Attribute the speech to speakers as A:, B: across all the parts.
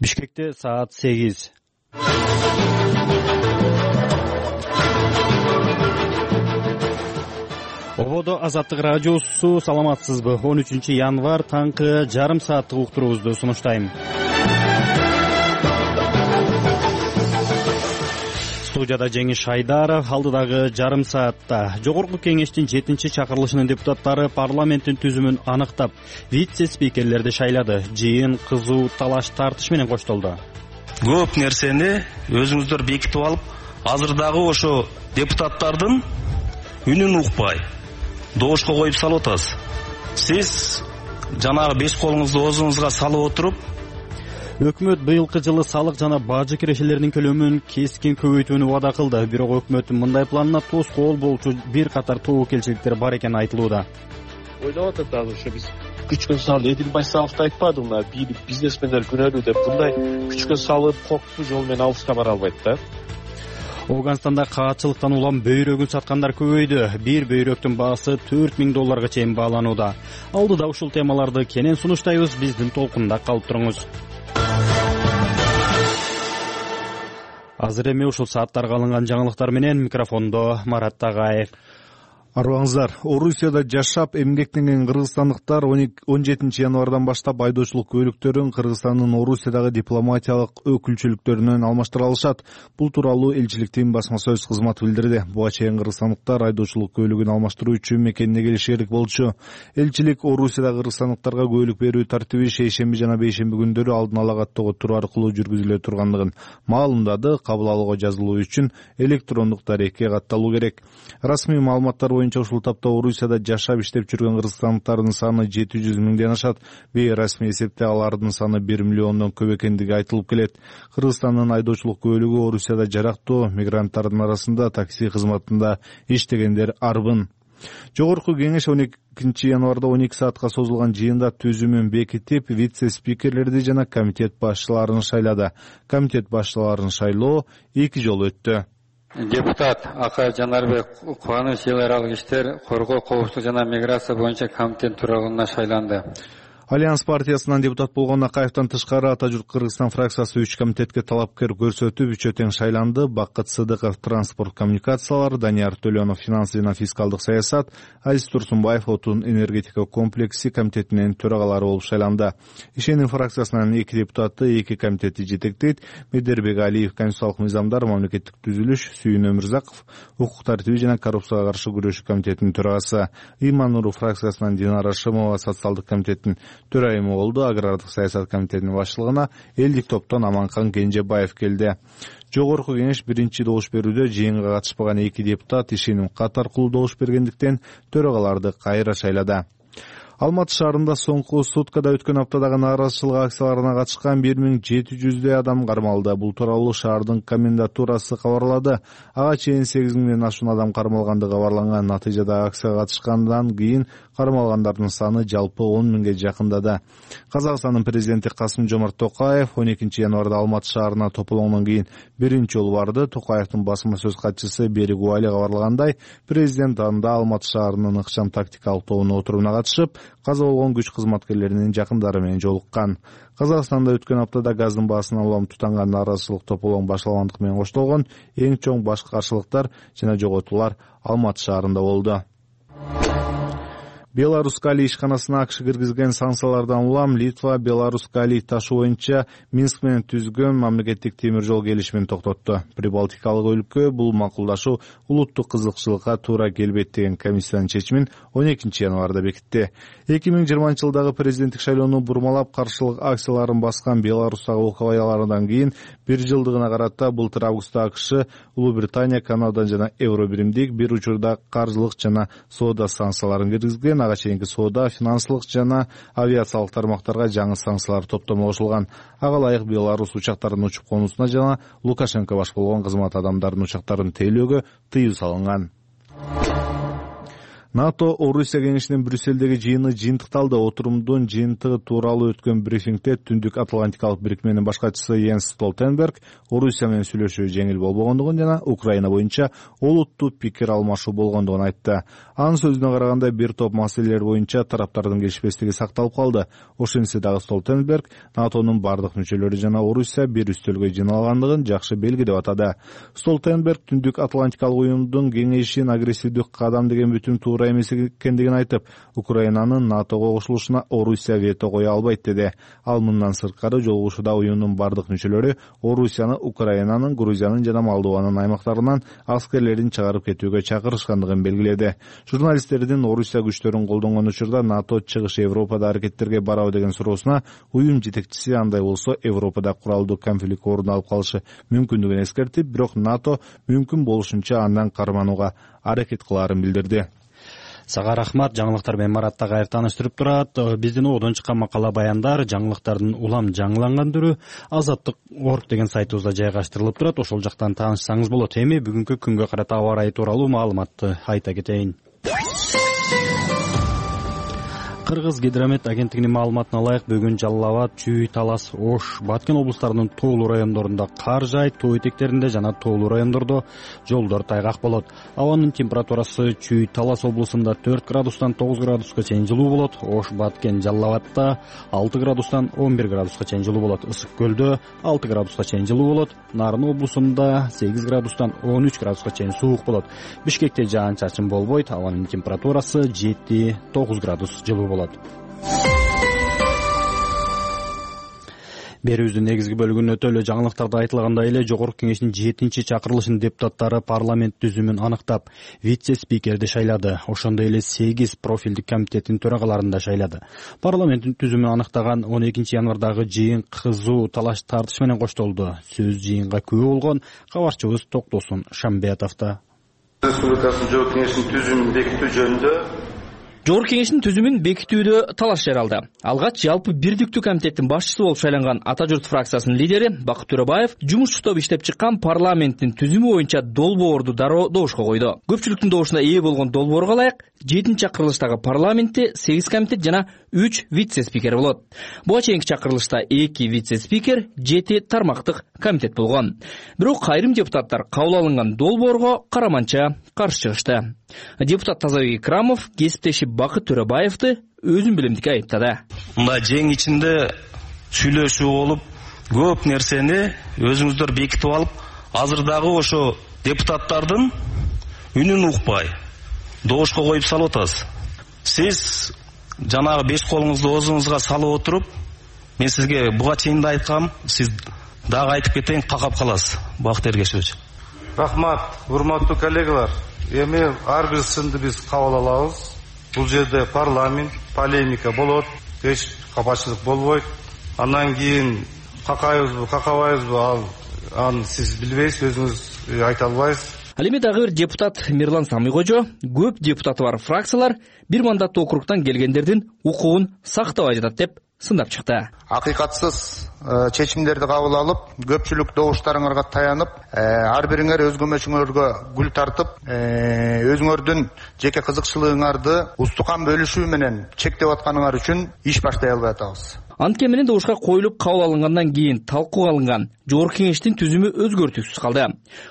A: Бишкекте саат 8. Ободо Азаттык радиосу, саламатсызбы? 13 январь таңкы жарым сааттык уктуруубузду сунуштайм. Студияда Жеңиш Айдаров. Алдыдагы жарым саатта Жогорку кеңештин 7-чакырылышынын депутаттары парламенттин түзүмүн аныктап, вице-спикерлерди шайлады. Жыйын кызуу талаш тартыш менен коштолду.
B: Көп нерсени өзүңүздөр бекитип алып, азырдагы ошо депутаттардын үнүн укпай добушка коюп салып атасыз. Сиз жанагы 5 колуңузду оозуңузга салып отуруп,
A: Өкмөт быйылкы жылы салык жана бажы кирешелеринин көлөмүн кескин көбөйтүүнү убада кылды. Бирок өкмөттүн мындай планына тоскоол болчу бир катар тобокелчиликтер бар экени айтылууда.
C: Ойлоп атат азыр ошо биз күчкө салып, Эдилбай Саовду айтпадым мына бизнесмендер күнөөлүү деп, мындай күчкө салып коктуу жол менен алышка бара албайт да.
A: Ооганстанда каатчылыктан улам бөйрөгүн саткандар көбөйдү. Бир бөйрөктүн баасы $4000 чейин бааланууда. Алдыда ушул темаларды кенен сунуштайбыз. Биздин толкунда калып туруңуз. Азыр эми ушул сааттарга алынган жаңылыктар менен микрофондо Марат Тагаев.
D: Арбаңыздар, Орусияда жашап эмгектенген кыргызстандыктар 17 январдан баштап айдоочулук көлүктөрүн Кыргызстандын Орусиядагы дипломатиялык өкүлчүлүктөрүнөн алмаштыра алышат. Бул тууралуу элчиликтин басма сөз кызматы билдирди. Буга чейин кыргызстандыктар айдоочулук көлүгүн алмаштыруу үчүн мекенине келиши керек болчу. Элчилик Орусиядагы кыргызстандыктарга көлүк берүү тартиби шейшемби жана бейшемби күндөрү алдын ала каттоого туруу аркылуу жүргүзүлө тургандыгын маалымдады. Кабыл алууга жазылуу үчүн электрондук дарекке катталуу керек. Расмий маалыматтар ушул тапта Орусияда жашап иштеп жүргөн кыргызстандыктардын саны 700 миңден ашат. Бейрасмий эсепте алардын саны 1 миллиондон көп экендиги айтылып келет. Кыргызстандын айдоочулук көлүгү Орусияда жарактуу мигранттардын арасында такси кызматында иштегендер арбын. Жогорку кеңеш 12 январда 12 саатка созулган жыйында түзүмүн бекитип, вице-спикерлерди жана комитет башчыларын шайлады. Комитет башчыларын шайлоо 2 жолу өттү.
E: Депутат Ака Жанарбек Кубаныч эл аралык иштер, коргоо, коопсуздук жана миграция боюнча комитет төрагалыгына шайланды.
D: Альянс партиясынан депутат болгон Акаевден тышкары Ата журт Кыргызстан фракциясы 3 комитетке талапкер көрсөтүп, үчөө тең шайланды. Бакыт Сыдыков транспорт коммуникациялар, Данияр Төлөнов финансы жана фискалдык саясат, Азиз Турсунбаев отун энергетика комплекси комитетинин төрагалары болуп шайланды. Ишеним фракциясынан 2 депутаты 2 комитетти жетектейт. Медербек Алиев конституциялык мыйзамдар, мамлекеттик түзүлүш, Сүйүн Өмүрзаков укук тартиби жана коррупцияга каршы күрөшүү комитетинин төрагасы, Имануру фракциясынан Динара Шымова социалдык комитеттин төрайымы болду. Агрардык саясат комитетинин башчылыгына элдик топтон Аманкан Кенжебаев келди. Жогорку кеңеш биринчи добуш берүүдө жыйынга катышпаган 2 депутат ишеним кат аркылуу добуш бергендиктен төрагаларды кайра шайлады. Алматы шаарында соңку суткада өткөн аптадагы нааразычылык акцияларына катышкан 1700 адам кармалды. Бул тууралуу шаардын комендатурасы кабарлады. Ага чейин 8000ден ашуун адам кармалгандыгы кабарланган. Натыйжада акцияга катышкандан кийин кармалгандардын саны жалпы 10 миңге жакындады. Казакстандын президенти Касым-Жомарт Токаев 12 январда Алматы шаарына тополоңдон кийин биринчи жолу барды. Токаевдин басма сөз катчысы Берик Уали кабарлагандай, президент анда Алматы шаарынын ыкчам тактикалык тобунун отуруна катышып, каза болгон күч кызматкерлеринин жакындары менен жолуккан. Казакстанда өткөн аптада газдын баасын улам тутанган нааразычылык тополоң башталгандык менен коштолгон эң чоң башкы каршылыктар жана жоготуулар Алматы шаарында болду. Беларусь Калий ишканасына АКШ киргизген санкциялардан улам Литва Беларусь Калий ташы боюнча Минск менен түзгөн мамлекеттик темир жол келишимин токтотту. Прибалтикалык өлкө бул макулдашуу улуттук кызыкчылыкка туура келбейт деген комиссиянын чечимин 12 январда бекитти. 2020-жылдагы президенттик шайлоону бурмалап каршылык акцияларын баскан Беларустагы окуялардан кийин 1 жылдыгына карата былтыр августта АКШ, Улуу Британия, Канада жана Евро биримдик бир учурда каржылык жана соода санкцияларын киргизген. Ага чейинки соода, финансылык жана авиациялык тармактарга жаңы санкциялар топтому кошулган. Ага ылайык Беларусь учактарынын учуп конуусуна жана Лукашенко баш болгон кызмат адамдарынын учактарын тейлөөгө тыюу салынган. НАТО Орусия кеңешинин Брюссельдеги жыйыны жыйынтыкталды. Отурумдун жыйынтыгы тууралуу өткөн брифингде Түндүк Атлантикалык бирикменин башкачысы Йенс Столтенберг Орусия менен сүйлөшүү жеңил болбогондугун жана Украина боюнча олуттуу пикир алмашуу болгондугун айтты. Анын сөзүнө караганда бир топ маселелер боюнча тараптардын келишпестиги сакталып калды. Ошентсе дагы Столтенберг НАТОнун бардык мүчөлөрү жана Орусия бир үстөлгө жыйналгандыгын жакшы белги деп атады. Столтенберг Түндүк Атлантикалык уюмдун кеңешин агрессивдик кадам деген бүтүн туура эмес экендигин айтып, Украинанын НАТОго кошулушуна Орусия вето кое албайт деди. Ал мындан сырткары жолугушууда уюмдун бардык мүчөлөрү Орусияны Украинанын, Грузиянын жана Молдованын аймактарынан аскерлерин чыгарып кетүүгө чакырышкандыгын белгиледи. Журналисттердин Орусия күчтөрүн колдонгон учурда НАТО чыгыш Европада аракеттерге барабы деген суроосуна уюм жетекчиси андай болсо Европада куралдуу конфликт орун алып калышы мүмкүндүгүн эскертип, бирок НАТО мүмкүн болушунча андан карманууга аракет кылаарын билдирди.
A: Сага рахмат. Жаңылыктар менен Марат Тагайыр тааныштырып турат. Биздин одон чыккан макала баяндар жаңылыктардын улам жаңыланган түрү Азаттык.org деген сайтыбызда жайгаштырылып турат. Ошол жактан таанышсаңыз болот. Эми бүгүнкү күнгө карата аба ырайы тууралуу маалыматты айта кетейин. Кыргыз гидромет агенттигинин маалыматына ылайык бүгүн Жалал Абад, Чүй, Талас, Ош, Баткен облустарынын тоолуу райондорунда кар жаайт, тоо этектеринде жана тоолуу райондордо жолдор тайгак болот. Абанын температурасы Чүй, Талас облусунда 4 градустан 9 градуска чейин жылуу болот. Ош, Баткен, Жалал Абадта 6 градустан 11 градуска чейин жылуу болот. Ысык көлдө 6 градуска чейин жылуу болот. Нарын облусунда 8 градустан 13 градуска чейин суук болот. Бишкекте жаан-чачын болбойт. Абанын температурасы 7-9 градус жылуу болот. Берүүбүздүн негизги бөлүгүнүн өтө эле жаңылыктарда айтылгандай эле Жогорку Кеңештин 7-чакырылышынын депутаттары парламент түзүмүн аныктап, вице-спикерди шайлады. Ошондой эле 8 профилдик комитеттин төрагаларын да шайлады. Парламенттин түзүмүн аныктаган 12 январдагы жыйын кызуу талаш тартыш менен коштолду. Сөз жыйынга күбө болгон кабарчыбыз Токтосун Шамбетовдо.
F: Республикасынын Жогорку Кеңештин түзүмүн бекитүү жөнүндө
G: Жогорку Кеңештин түзүмүн бекитүүдө талаш жаралды. Алгач жалпы бирдиктүү комитеттин башчысы болуп шайланган Ата журт фракциясынын лидери Бакыт Төрөбаев жумушчу топ иштеп чыккан парламенттин түзүмү боюнча долбоорду дароо добушка койду. Көпчүлүктүн добушуна ээ болгон долбоорго ылайык 7-чакырылыштагы парламентте 8 комитет жана 3 вице-спикер болот. Буга чейинки чакырылышта 2 вице-спикер, 7 тармактык комитет болгон. Бирок айрым депутаттар кабыл алынган долбоорго караманча каршы чыгышты. Депутат Тазабек Икрамов кесиптеши Бакыт Төрөбаевди өзүн билимдикке айыптады.
B: Мына жең ичинде сүйлөшүү болуп, көп нерсени өзүңүздөр бекитип алып, азыр дагы ошо депутаттардын үнүн укпай добушка коюп салып атасыз. Сиз жанагы 5 колуңузду оозуңузга салып отуруп, мен сизге буга чейин да айткам, сиз дагы айтып кетейин, какап каласыз. Бакыт Эргешевич.
F: Рахмат, урматтуу коллегалар. Эми ар бир сынды биз кабыл алабыз. Бул жерде парламент, полемика болот, эч капачылык болбойт. Андан кийин какайбызбы, какабайбызбы, аны сиз билбейсиз, өзүңүз айта албайсыз.
G: Ал эми дагы бир депутат Мирлан Самыйкожо көп депутаты бар фракциялар бир мандаттуу округтан келгендердин укугун сактабай жатат деп сындап чыкты.
H: Акыйкатсыз чечимдерди кабыл алып, көпчүлүк добуштарыңарга таянып, ар бириңер өз көмөчүңөргө гүл тартып, өзүңөрдүн жеке кызыкчылыгыңарды устукан бөлүшүү менен чектеп атканыңар үчүн иш баштай албай атабыз.
G: Антке менен добушка коюлуп кабыл алынгандан кийин талкууга алынган Жогорку Кеңештин түзүмү өзгөртүүсүз калды.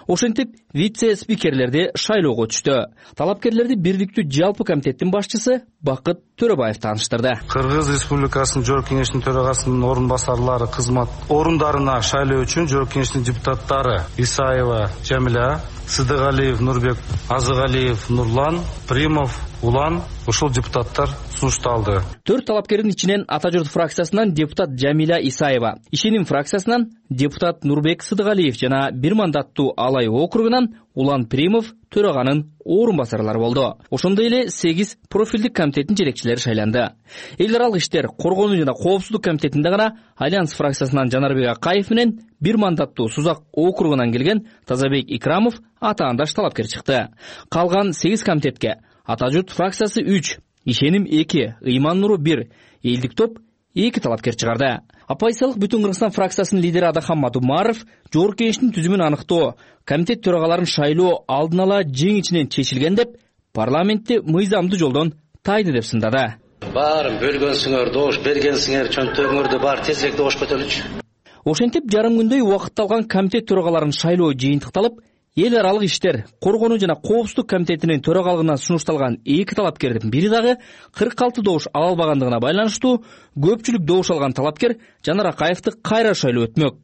G: Ошентип вице-спикерлерди шайлоого түштү. Талапкерлерди бирдиктүү жалпы комитеттин башчысы Бакыт Төрөбаев тааныштырды.
F: Кыргыз Республикасынын Жогорку Кеңештин төрагасынын орун басарлары кызмат орундарына шайлоо үчүн Жогорку Кеңештин депутаттары Исаева Жамиля, Сыдыгалиев Нурбек, Азыгалиев Нурлан, Примов Улан ушул депутаттар сунушталды.
G: 4 талапкердин ичинен Ата журт фракциясынан депутат Жамиля Исаева, Ишеним фракциясынан депутат Нурбек Сыдыгалиев жана бир мандаттуу Алай округунан Улан Примов төраганын орун басарлары болду. Ошондой эле 8 профилдик комитеттин жетекчилери шайланды. Эл аралык иштер, коргонуу жана коопсуздук комитетинде гана Альянс фракциясынан Жанарбек Акаев менен бир мандаттуу Сузак округунан келген Тазабек Икрамов атаандаш талапкер чыкты. Калган 8 комитетке Ата журт фракциясы 3, Ишеним 2, Ыйман Нуру 1, Элдик топ 2 талапкер чыгарды. Апайсалык Бүтүн Кыргызстан фракциясынын лидери Адахан Мадумаров Жогорку Кеңештин түзүмүн аныктоо, комитет төрагаларын шайлоо алдын ала жең ичинен чечилген деп парламентти мыйзамдуу жолдон тайды деп сындады.
I: Баарын бөлгөнсүңөр, добуш бергенсиңер, чөнтөгүңөрдү баары тезирээк добушка өтөлүчү.
G: Ошентип жарым күндөй убакытты алган комитет төрагаларын шайлоо жыйынтыкталып, эл аралык иштер, коргонуу жана коопсуздук комитетинин төрагалыгына сунушталган эки талапкердин бири дагы 46 добуш ала албагандыгына байланыштуу көпчүлүк добуш алган талапкер Жанар Акаевди кайра шайлоо өтмөк.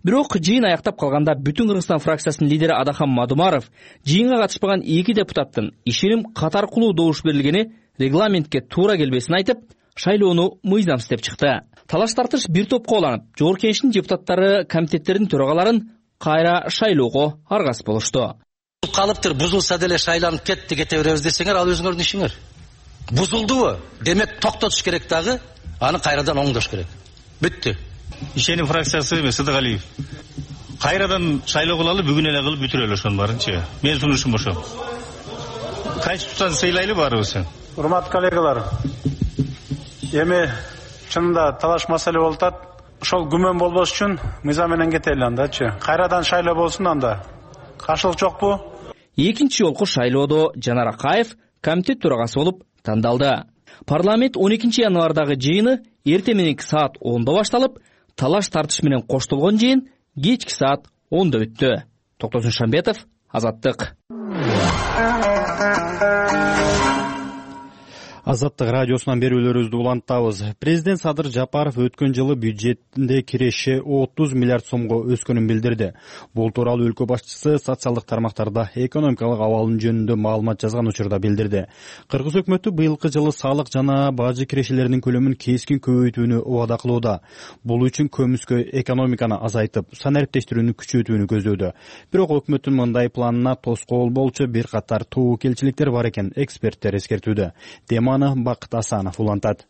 G: Бирок жыйын аяктап калганда Бүтүн Кыргызстан фракциясынын лидери Адахан Мадумаров жыйынга катышпаган эки депутаттын ишеним катаркулуу добуш берилгени регламентке туура келбесин айтып, шайлоону мыйзамсыз деп чыкты. Талаш тартыш бир топко уланып, Жогорку Кеңештин депутаттары комитеттердин төрагаларын кайра шайлоого аргасыз болушту.
I: Калыптыр, бузулса деле шайланып кете беребиз десеңер, ал өзүңөрдүн ишиңер. Бузулдубу? Демек токтотуш керек дагы, аны кайрадан оңдош керек. Бүттү.
B: Ишеним фракциясы Сыдыгалиев. Кайрадан шайлоо кылалы, бүгүн эле кылып бүтүрөлү ошонун баарынчы. Мен сунушум ошо. Конституцияны сыйлайлы баарыбыз.
J: Урматтуу коллегалар, эми чынында талаш маселе болуп атат. Ошол күмөн болбош үчүн мыйзам менен кетели андачы. Кайрадан шайлоо болсун анда. Каршылык жокпу?
G: Экинчи жолку шайлоодо Жанар Акаев комитет төрагасы болуп тандалды. Парламент 12 январдагы жыйыны эртең мененки саат 10-да башталып, талаш тартыш менен коштолгон жыйын кечки саат 10-да өттү. Токтосун Шамбетов, Азаттык.
A: Азаттык радиосунан берүүлөрүбүздү улантабыз. Президент Садыр Жапаров өткөн жылы бюджетинде киреше 30 миллиард сомго өскөнүн билдирди. Бул тууралуу өлкө башчысы социалдык тармактарда экономикалык абалын жөнүндө маалымат жазган учурда билдирди. Кыргыз өкмөтү быйылкы жылы салык жана бажы кирешелеринин көлөмүн кескин көбөйтүүнү убада кылууда. Бул үчүн көмүскө экономиканы азайтып, санариптештирүүнү күчөтүүнү көздөдү. Бирок өкмөттүн мындай планына тоскоол болчу бир катар тобокелчиликтер бар экен, эксперттер эскертүүдө. Бакыт Асанов улантат.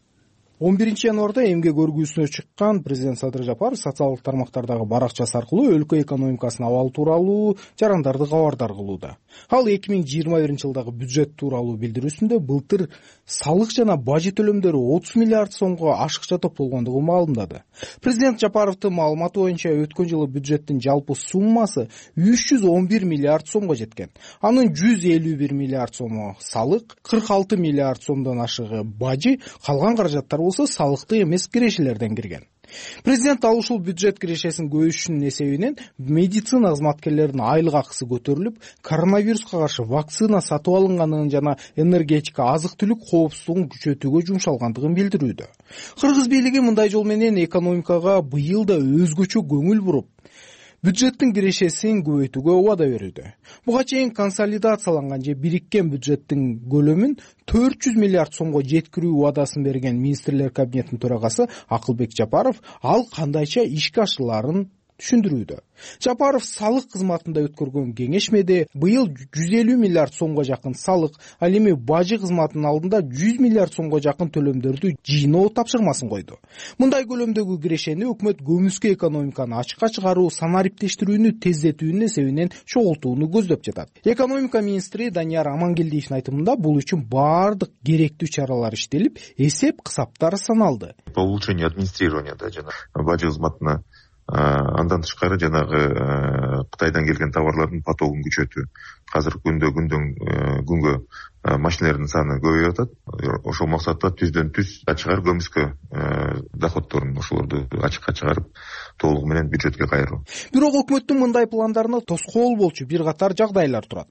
K: 11 январда эмгек өргүүсүнө чыккан президент Садыр Жапаров социалдык тармактардагы баракчасы аркылуу өлкө экономикасынын абалы тууралуу жарандарды кабардар кылууда. Ал 2021 жылдагы бюджет тууралуу билдирүүсүндө былтыр салык жана бажы төлөмдөрү 30 миллиард сомго ашыкча топтолгондугун маалымдады. Президент Жапаровдун маалыматы боюнча өткөн жылы бюджеттин жалпы суммасы 311 миллиард сомго жеткен. Анын 151 миллиард сому салык, 46 миллиард сомдон ашыгы бажы, калган каражаттар болсо салыктык эмес кирешелерден кирген. Президент ал ушул бюджет кирешесин көбөйтүүнүн эсебинен медицина кызматкерлеринин айлык акысы көтөрүлүп, коронавируска каршы вакцина сатып алынганын жана энергетика, азык-түлүк коопсуздугун күчөтүүгө жумшалгандыгын билдирүүдө. Кыргыз бийлиги мындай жол менен экономикага быйыл да өзгөчө көңүл буруп, бюджеттин кирешесин көбөйтүүгө убада берүүдө. Буга чейин консолидацияланган же бириккен бюджеттин көлөмүн 400 миллиард сомго жеткирүү убадасын берген министрлер кабинетинин төрагасы Акылбек Жапаров ал кандайча ишке ашырыларын түшүндүрүүдө. Жапаров салык кызматында өткөргөн кеңешмеде быйыл 150 миллиард сомго жакын салык, ал эми бажы кызматынын алдында 100 миллиард сомго жакын төлөмдөрдү жыйноо тапшырмасын койду. Мындай көлөмдөгү кирешени өкмөт көмүскө экономиканы ачыкка чыгаруу, санариптештирүүнү тездетүүнүн эсебинен чогултууну көздөп жатат. Экономика министри Данияр Амангелдиевдин айтымында бул үчүн баардык керектүү чаралар иштелип, эсеп кысаптар саналды.
L: По улучшению администрирования жана бажы кызматына андан тышкары жанагы Кытайдан келген товарлардын потогун күчөтүү. Азыр күнгө машиналардын саны көбөйүп атат. Ошол максатта түздөн түз ачыгар көмүскө доходдорун ошолорду ачыкка чыгарып, толугу менен бюджетке кайруу.
K: Бирок өкмөттүн мындай пландарына тоскоол болчу бир катар жагдайлар турат.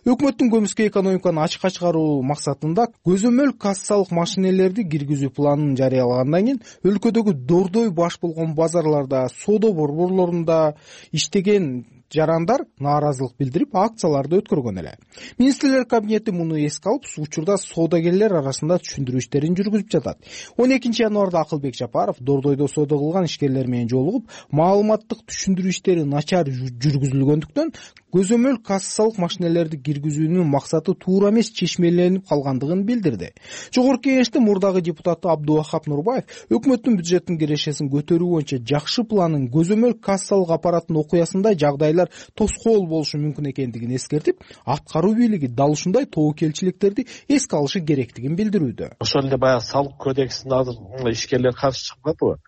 K: Өкмөттүн көмүскө экономиканы ачыкка чыгаруу максатында көзөмөл кассалык машинелерди киргизүү планын жарыялагандан кийин өлкөдөгү дордой баш болгон базарларда, соода борборлорунда иштеген жарандар нааразылык билдирип, акцияларды өткөргөн эле. Министрлер кабинети муну эске алып, учурда соодагерлер арасында түшүндүрүү иштерин жүргүзүп жатат. 12 январда Акылбек Жапаров дордойдо соода кылган ишкерлер менен жолугуп, маалыматтык түшүндүрүү иштери начар жүргүзүлгөндүктөн көзөмөл кассалык машинелерди киргизүүнүн максаты туура эмес чечмеленип калгандыгын билдирди. Жогорку Кеңештин мурдагы депутаты Абдувахап Нурбаев өкмөттүн бюджеттин кирешесин көтөрүү боюнча жакшы планын көзөмөл кассалык аппараттын окуясында жагдайлар тоскоол болушу мүмкүн экендигин эскертип, аткаруу бийлиги дал ушундай тобокелчиликтерди эске алышы керектигин билдирүүдө.
C: Ошол эле баягы салык кодексине азыр ишкерлер каршы чыкпадыбы?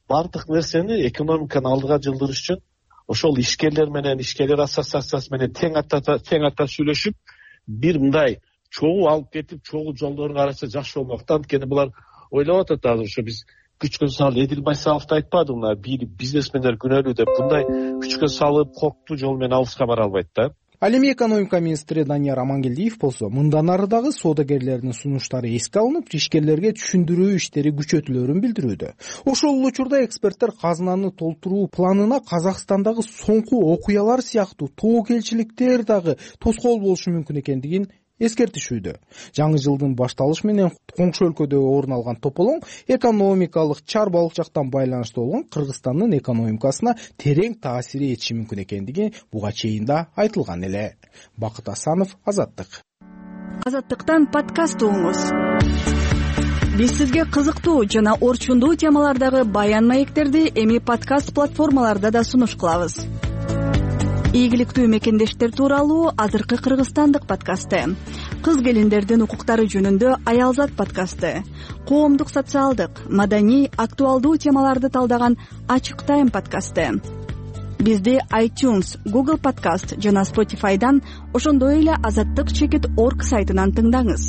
C: Бардык нерсени экономиканы алдыга жылдырыш үчүн ошол ишкерлер менен ишкерлер ассоциациясы менен тең ата сүйлөшүп, бир мындай чогуу алып кетип чогуу жолдорун караса жакшы болмок да. Анткени булар ойлоп атат азыр ошо биз күчкө салып, Эдил Байсаловду айтпадым, мына бизнесмендер күнөөлүү деп мындай күчкө салып коктуу жол менен алыска бара албайт да.
K: Ал эми экономика министри Данияр Амангелдиев болсо мындан ары дагы соодагерлердин сунуштары эске алынып, ишкерлерге түшүндүрүү иштери күчөтүлөрүн билдирүүдө. Ошол эле учурда эксперттер казынаны толтуруу планына Казакстандагы соңку окуялар сыяктуу тобокелчиликтер дагы тоскоол болушу мүмкүн экендигин эскертишүүдө. Жаңы жылдын башталышы менен коңшу өлкөдө орун алган тополоң экономикалык чарбалык жактан байланыштуу болгон Кыргызстандын экономикасына терең таасир этиши мүмкүн экендиги буга чейин да айтылган эле. Бакыт Асанов, Азаттык.
M: Азаттыктан подкаст угуңуз. Биз сизге кызыктуу жана орчундуу темалардагы баян маектерди эми подкаст платформаларда да сунуш кылабыз. Ийгиликтүү мекендештер тууралуу азыркы кыргызстандык подкасты, кыз келиндердин укуктары жөнүндө Аялзат подкасты, коомдук социалдык, маданий, актуалдуу темаларды талдаган Ачык Тайм подкасты. Бизди iTunes, Google Podcast жана Spotify'дан, ошондой эле azattik.org сайтынан тыңдаңыз.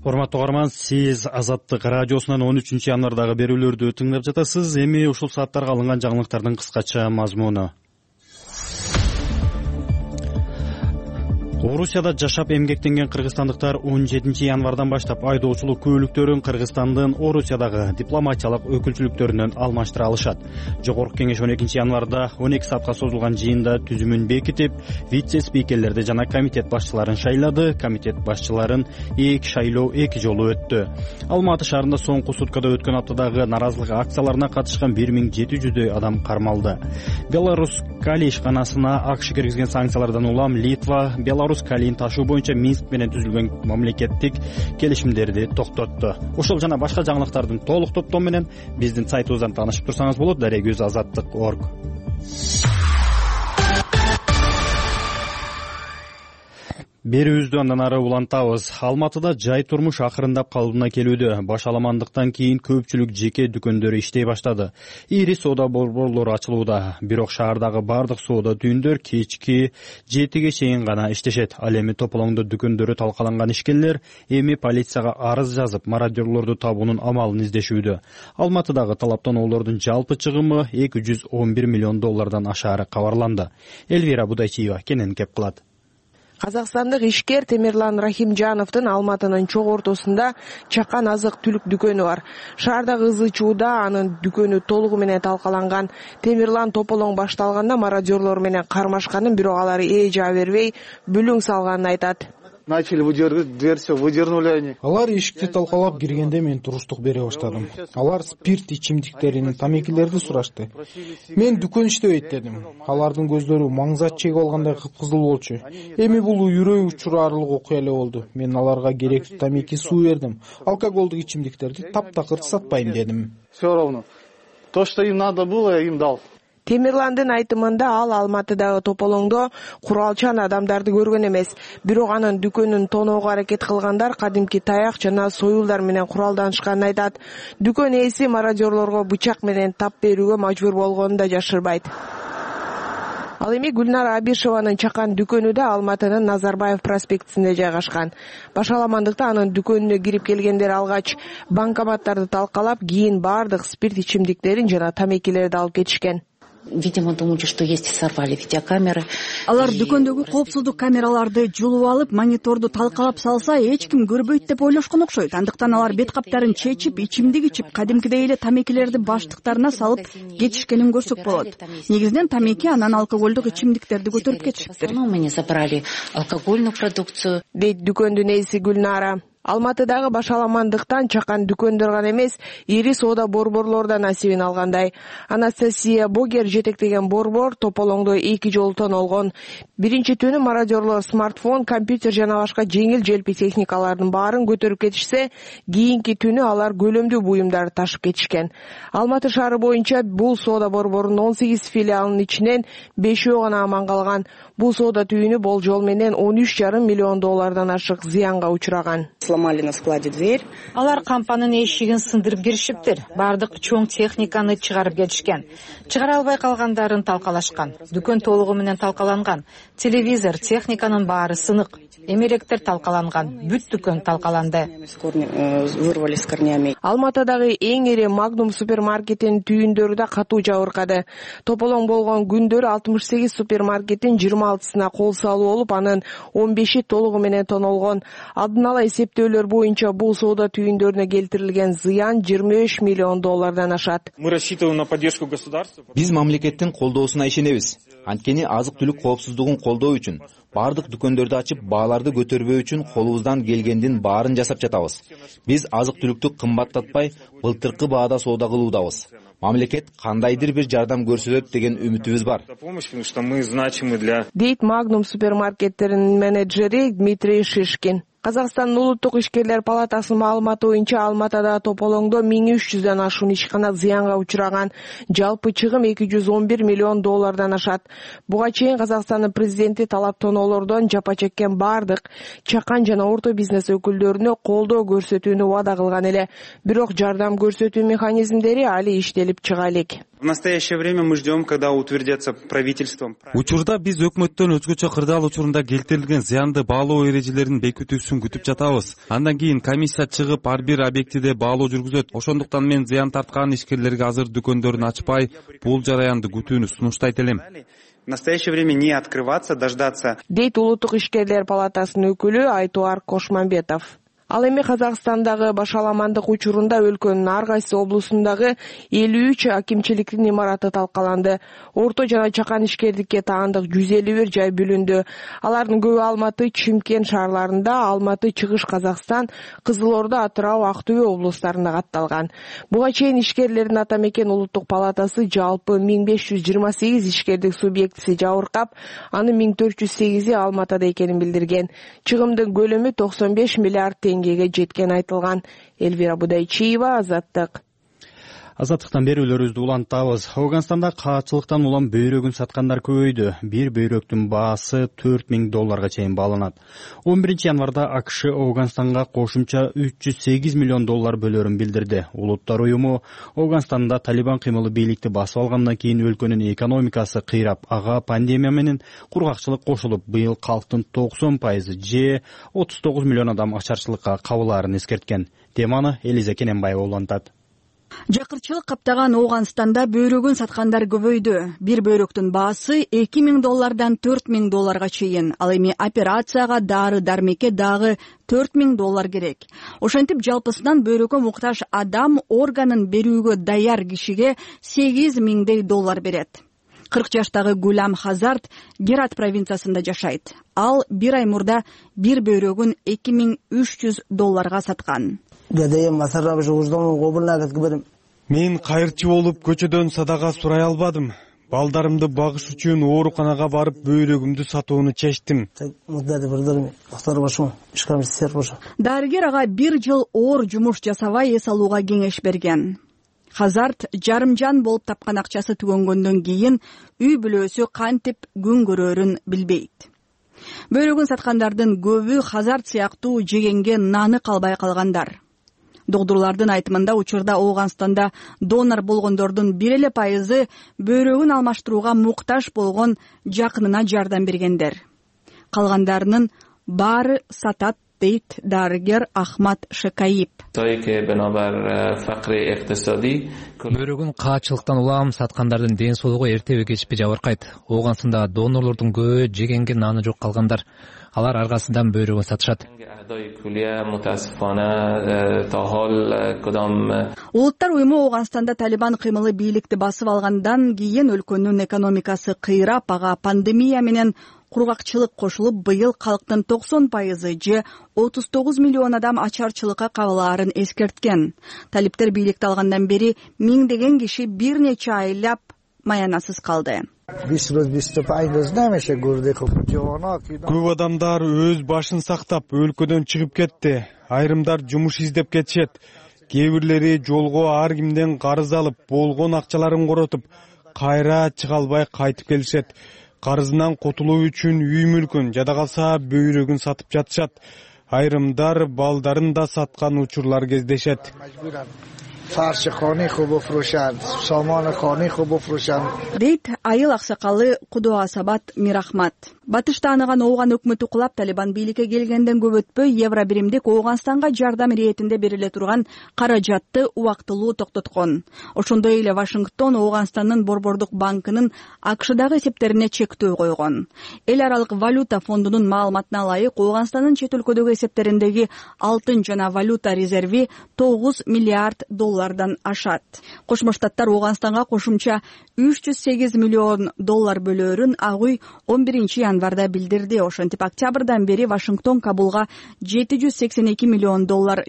A: Урматтуу угарман, сиз Азаттык радиосунан 13 январдагы берүүлөрдү тыңдап жатасыз. Эми ушул сааттарга алынган жаңылыктардын кыскача мазмуну. Орусияда жашап эмгектенген кыргызстандыктар 17 январдан баштап айдоочулук күбөлүктөрүн Кыргызстандын Орусиядагы дипломатиялык өкүлчүлүктөрүнөн алмаштыра алышат. Жогорку кеңеш 12 январда 12 саатка созулган жыйында түзүмүн бекитип, вице-спикерлерди жана комитет башчыларын шайлады. Комитет башчыларын шайлоо 2 жолу өттү. Алматы шаарында соңку суткада өткөн аптадагы наразылык акцияларына катышкан 1700 адам кармалды. Беларусь Кали ишканасына АКШ киргизген санкциялардан улам Литва Беларусь Калийин ташуу боюнча Минск менен түзүлгөн мамлекеттик келишимдерди токтотту. Ошол жана башка жаңылыктардын толук топтому менен биздин сайтыбыздан таанышып турсаңыз болот. Дарегүз Азаттык.org. Берүүбүздү андан ары улантабыз. Алматыда жай турмуш акырындап калыбына келүүдө. Башаламандыктан кийин көпчүлүк жеке дүкөндөрү иштей баштады. Ири соода борборлору ачылууда. Бирок шаардагы бардык соода түйүндөр кечки 7ге чейин гана иштешет. Ал эми тополоңдо дүкөндөрү талкаланган ишкерлер эми полицияга арыз жазып, мародёрлорду табуунун амалын издешүүдө. Алматыдагы талаптоолордун жалпы чыгымы 211 миллион доллардан ашаары кабарланды. Элвира Будайчиева кенен кеп кылат.
N: Казакстандык ишкер Темирлан Рахимжановдун Алматынын чок ортосунда чакан азык түлүк дүкөнү бар. Шаардагы ызы чууда анын дүкөнү толугу менен талкаланган. Темирлан тополоң башталганда мародёрлор менен кармашканын, бирок алар жаа бербей бүлүң салганын айтат.
O: Начали выдергивать дверь, все, выдернули они.
K: Алар эшикти талкалап киргенде мен туруштук бере баштадым. Алар спирт ичимдиктерин, тамекилерди сурашты. Мен дүкөн иштебейт дедим. Алардын көздөрү маңзат чегип алгандай кыпкызыл болчу. Эми бул үрөй учурарлык окуя эле болду. Мен аларга керектүү тамеки, суу бердим. Алкоголдук ичимдиктерди таптакыр сатпайм дедим.
O: Все равно. То, что им надо было, я им дал.
N: Темирландын айтымында ал Алматыдагы тополоңдо куралчан адамдарды көргөн эмес. Бирок анын дүкөнүн тоноого аракет кылгандар кадимки таяк жана союлдар менен куралданышканын айтат. Дүкөн ээси мародёрлорго бычак менен тап берүүгө мажбур болгонун да жашырбайт. Ал эми Гүлнара Абишеванын чакан дүкөнү да Алматынын Назарбаев проспектисинде жайгашкан. Башаламандыкта анын дүкөнүнө кирип келгендер алгач банкоматтарды талкалап, кийин бардык спирт ичимдиктерин жана тамекилерди алып кетишкен.
P: Видимо, думали, что есть, сорвали видеокамеры.
M: Алар дүкөндөгү коопсуздук камераларды жулуп алып, мониторду талкалап салса, эч ким көрбөйт деп ойлошкон окшойт. Андыктан алар бет каптарын чечип, ичимдик ичип, кадимкидей эле тамекилерди баштыктарына салып кетишкенин көрсөк болот. Негизинен тамеки, анан алкоголдук ичимдиктерди көтөрүп кетишиптир.
P: Мы не забрали алкогольную продукцию.
N: Дейт дүкөндүн ээси Гүлнара. Алматыдагы башаламандыктан чакан дүкөндөр гана эмес, ири соода борборлор да насибин алгандай. Анастасия Богер жетектеген борбор тополоңдо 2 жолу тонолгон. Биринчи түнү мародёрлор смартфон, компьютер жана башка жеңил желпи техникалардын баарын көтөрүп кетишсе, кийинки түнү алар көлөмдүү буюмдарды ташып кетишкен. Алматы шаары боюнча бул соода борборунун 18 филиалынын ичинен 5 гана аман калган. Бул соода түйүнү болжол менен 13,5 миллион доллардан ашык зыянга учураган.
Q: сломали на складе дверь.
R: Алар кампанын эшигин сындырып киришиптир. Бардык чоң техниканы чыгарып кетишкен. Чыгара албай калгандарын талкалашкан. Дүкөн толугу менен талкаланган. Телевизор, техниканын баары сынык. Эмеректер талкаланган. Бүт дүкөн талкаланды.
Q: Вырвали с корнями.
N: Алматыдагы эң ири Magnum супермаркетинин түйүндөрү да катуу жабыркады. Тополоң болгон күндөр 68 супермаркеттин 26-сына кол салуу болуп, анын 15-и толугу менен тонолгон. Алдын ала эсептөөлөр боюнча бул соода түйүндөрүнө келтирилген зыян $23 миллион ашат.
S: Мы рассчитываем на поддержку государства.
T: Биз мамлекеттин колдоосуна ишенебиз. Анткени азык-түлүк коопсуздугун колдоо үчүн, бардык дүкөндөрдү ачып, бааларды көтөрбөө үчүн колубуздан келгендин баарын жасап жатабыз. Биз азык-түлүктү кымбаттатпай, былтыркы баада соода кылуудабыз. Мамлекет кандайдыр бир жардам көрсөтөт деген үмүтүбүз бар.
N: Дейт Magnum супермаркеттеринин менеджери Дмитрий Шишкин. Казакстандын улуттук ишкерлер палатасынын маалыматы боюнча Алматыда тополоңдо 1300дөн ашуун ишкана зыянга учураган. Жалпы чыгым $211 миллион ашат. Буга чейин Казакстандын президенти талап тоноолордон жапа чеккен бардык чакан жана орто бизнес өкүлдөрүнө колдоо көрсөтүүнү убада кылган эле. Бирок жардам көрсөтүү механизмдери али иштелип чыга элек.
S: В настоящее время мы ждем, когда утвердятся правительством.
U: Учурда биз өкмөттөн өзгөчө кырдаал учурунда келтирилген зыянды баалоо эрежелерин бекитүүсүн күтүп жатабыз. Андан кийин комиссия чыгып, ар бир объектиде баалоо жүргүзөт. Ошондуктан мен зыян тарткан ишкерлерге азыр дүкөндөрүн ачпай, бул жараянды күтүүнү сунуштайт элем.
S: В настоящее время не открываться, дождаться.
N: Дейт улуттук ишкерлер палатасынын өкүлү Айтуар Кошмамбетов. Ал эми Казакстандагы башаламандык учурунда өлкөнүн ар кайсы облусундагы 53 акимчиликтин имараты талкаланды. Орто жана чакан ишкердикке таандык 151 жай бүлүндү. Алардын көбү Алматы, Чымкент шаарларында, Алматы, Чыгыш Казакстан, Кызыл Орда, Атырау, Актөбө облустарында катталган. Буга чейин ишкерлердин ата мекен улуттук палатасы жалпы 1528 ишкердик субъектиси жабыркап, анын 1408и Алматыда экенин билдирген. Чыгымдын көлөмү 95 миллиард теңгеге жеткен айтылган. Элвира Будайчиева, Азаттык.
A: Азаттыктан берүүлөрүбүздү улантабыз. Ауганстанда каачылыктан улам бөйрөгүн саткандар көбөйдү. Бир бөйрөктүн баасы $4000 чейин бааланат. 11 январда АКШ Ауганстанга кошумча $308 миллион бөлөрүн билдирди. Улуттар уюму Ауганстанда Талибан кыймылы бийликти басып алгандан кийин өлкөнүн экономикасы кыйрап, ага пандемия менен кургакчылык кошулуп, быйыл калктын 90% же 39 миллион адам ачарчылыкка кабылаарын эскерткен. Теманы Элиза Кененбаева улантат.
M: Жакырчылык каптаган Ауганстанда бөйрөгүн саткандар көбөйдү. Бир бөйрөктүн баасы $2000 $4000 чейин. Ал эми операцияга дары-дармекке дагы $4000 керек. Ошентип жалпысынан бөйрөгкө муктаж адам органын берүүгө даяр кишиге $8000 берет. 40 жаштагы Гулам Хазарт Герат провинциясында жашайт. Ал бир ай мурда бир бөйрөгүн $2300 саткан.
U: Мен кайырчы болуп көчөдөн садага сурай албадым. Балдарымды багыш үчүн ооруканага барып бөйрөгүмдү сатууну чечтим.
M: Дарыгер ага 1 жыл оор жумуш жасабай эс алууга кеңеш берген. Хазарт жарымжан болуп тапкан акчасы түгөнгөндөн кийин үй бүлөсү кантип күн көрөрүн билбейт. Бөйрөгүн саткандардын көбү Хазарт сыяктуу жегенге наны калбай калгандар. Доктурлардын айтымында учурда Ауганстанда донор болгондордун 1% бөйрөгүн алмаштырууга муктаж болгон жакынына жардам бергендер. Калгандарынын баары сатат, дейт дарыгер Ахмат Шекаип.
V: Бөйрөгүн каачылыктан улам саткандардын ден соолугу эртеби кечпи жабыркайт. Ауганстанда донорлордун көбү жегенге наны жок калгандар. Алар аргасынан бөйрөгүн сатышат.
M: Улуттар уюму Ауганстанда Талибан кыймылы бийликти басып алгандан кийин өлкөнүн экономикасы кыйрап, ага пандемия менен кургакчылык кошулуп, быйыл калктын 90% же 39 миллион адам ачарчылыкка кабылаарын эскерткен. Талиптер бийликти алгандан бери миңдеген киши бир нече айлап маянасыз калды.
U: Көп адамдар өз башын сактап өлкөдөн чыгып кетти. Айрымдар жумуш издеп кетишет. Кээ жолго ар кимден карыз алып, болгон акчаларын коротуп, кайра чыга албай кайтып келишет. Карызынан котулуу үчүн үй мүлкүн, жада калса бөйрөгүн сатып жатышат.
D: Айрымдар балдарын да саткан учурлар кездешет.
M: Дейт айыл аксакалы Кудуа Сабат Мирахмат. Батыш тааныган Ооган өкмөтү кулап Талибан бийликке келгенден көп өтпөй евро биримдик Ооганстанга жардам иретинде бериле турган каражатты убактылуу токтоткон. Ошондой эле Вашингтон Ооганстандын Борбордук банкынын АКШдагы эсептерине чектөө койгон. Эл аралык валюта фондунун маалыматына ылайык Ооганстандын чет өлкөдөгү эсептериндеги алтын жана валюта резерви $9 миллиард ашат. Кошмо Штаттар Ооганстанга кошумча $308 миллион бөлөөрүн ак үй 11 январда билдирди. Ошентип октябрдан бери Вашингтон Кабулга $782 миллион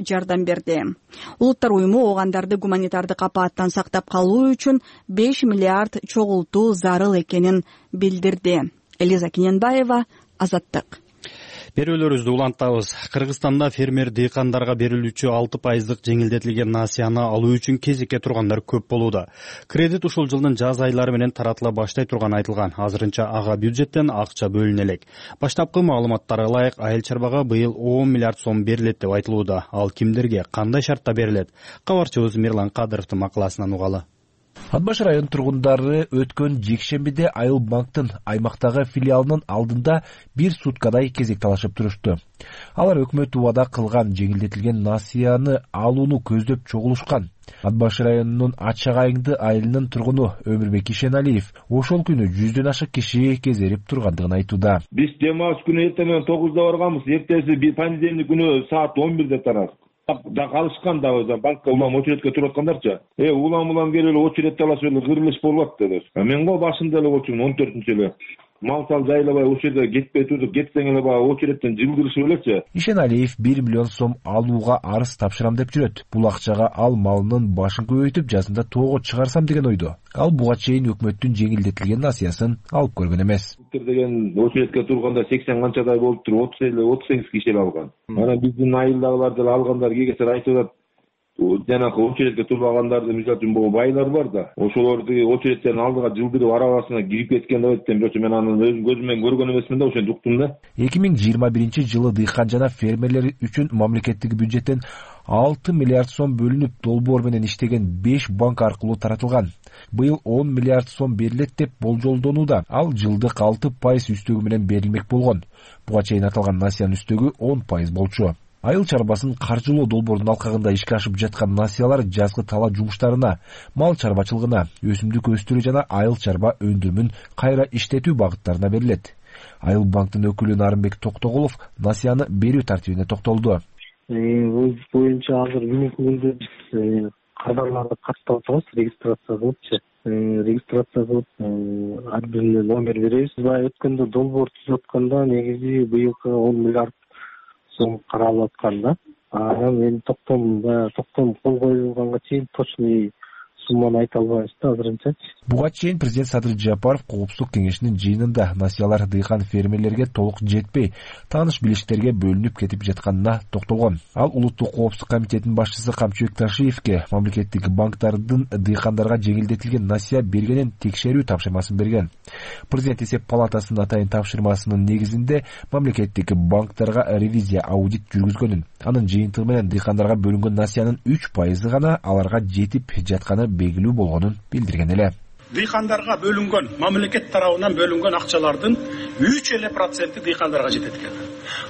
M: жардам берди. Улуттар уюму оогандарды гуманитардык апааттан сактап калуу үчүн 5 миллиард чогултуу зарыл экенин билдирди. Элиза Киненбаева, Азаттык.
A: Берүүлөрүбүздү улантабыз. Кыргызстанда фермер дыйкандарга берилүүчү 6% жеңилдетилген насыяны алуу үчүн кезекке тургандар көп болууда. Кредит ушул жылдын жаз айлары менен таратыла баштай турганы айтылган. Азырынча ага бюджеттен акча бөлүнө элек. Баштапкы маалыматтарга ылайык айыл чарбага быйыл 10 миллиард сом берилет деп айтылууда. Ал кимдерге, кандай шартта берилет? Кабарчыбыз Мирлан Кадыровдун макаласынан угалы.
E: Ат Баш район тургундары өткөн жекшембиде Айыл банктын аймактагы филиалынын алдында бир суткадай кезек талашып турушту. Алар өкмөт убада кылган жеңилдетилген насыяны алууну көздөп чогулушкан. Ат Баш районунун Ачагайыңды айылынын тургуну Өмүрбек Ишеналиев ошол күнү 100дөн ашык киши кезерип тургандыгын айтууда.
W: Биз жыма күнү эртең менен 9-да барганбыз, эртеси понедельник күнү саат 11-де тарадык. Да калышкан да банкка улам очередке туруп аткандарчы. Улам келип эле очередти аласыз эле кырылыш болуп атты. Мен го башында эле очум 14-нчү эле. Мал сал жайлабай очередке кетпей турдук, кетсең эле баягы очередтен жылдырышып элечи.
E: Ишеналиев 1 миллион сом алууга арыз тапшырам деп жүрөт. Бул акчага ал малынын башын көбөйтүп, жазында тоого чыгарсам деген ойдо. Ал буга чейин өкмөттүн жеңилдетилген насыясын алып көргөн эмес.
W: Деген очередке турганда 80 канчадай болуп туруп 38 киши эле алган. Анан биздин айылдагылар деле алгандар кегесер айтып атат. Жанагы очередке турбагандарды мисалы үчүн бул байлар бар да. Ошолорду очередтердин алдыга жылдырып арабасына кирип кеткен деп айтты. Бирок мен аны өз көзүм менен көргөн эмесмин да, ошентип уктум да.
E: 2021-жылы дыйкан жана фермерлер үчүн мамлекеттик бюджеттен 6 миллиард сом бөлүнүп, долбоор менен иштеген 5 банк аркылуу таратылган. Быйыл 10 миллиард сом берилет деп болжолдонууда. Ал жылдык 6% үстөгү менен берилмек болгон. Буга чейин аталган насыянын үстөгү 10% болчу. Айыл чарбасын каржылоо долбоордун алкагында ишке ашып жаткан насыялар жазгы талаа жумуштарына, мал чарбачылыгына, өсүмдүк өстүрүү жана айыл чарба өндүрүмүн кайра иштетүү багыттарына берилет. Айыл банктын өкүлү Нарымбек Токтогулов насыяны берүү тартибине токтолду.
X: Бул боюнча азыр бүгүнкү күндө биз кадрларды каттап атабыз, регистрация кылыпчы. Регистрация кылып, ар бирине номер беребиз. Баягы өткөндө долбоор түзүп атканда негизи быйылкы 10 миллиард сом каралып аткан да. Анан мен токтом кол коюлганга чейин точный сумманы айта албайбыз да азырынча.
E: Буга чейин президент Садыр Жапаров Коопсуздук кеңешинин жыйынында насыялар дыйкан фермерлерге толук жетпей, тааныш билиштерге бөлүнүп кетип жатканына токтолгон. Ал Улуттук коопсуздук комитетинин башчысы Камчыбек Ташиевке мамлекеттик банктардын дыйкандарга жеңилдетилген насыя бергенин текшерүү тапшырмасын берген. Президент эсеп палатасынын атайын тапшырмасынын негизинде мамлекеттик банктарга ревизия аудит жүргүзгөнүн, анын жыйынтыгы менен дыйкандарга бөлүнгөн насыянын 3% гана аларга жетип жатканы белгилүү болгонун билдирген эле.
Y: Дыйкандарга бөлүнгөн, мамлекет тарабынан бөлүнгөн акчалардын 3% дыйкандарга жетет экен.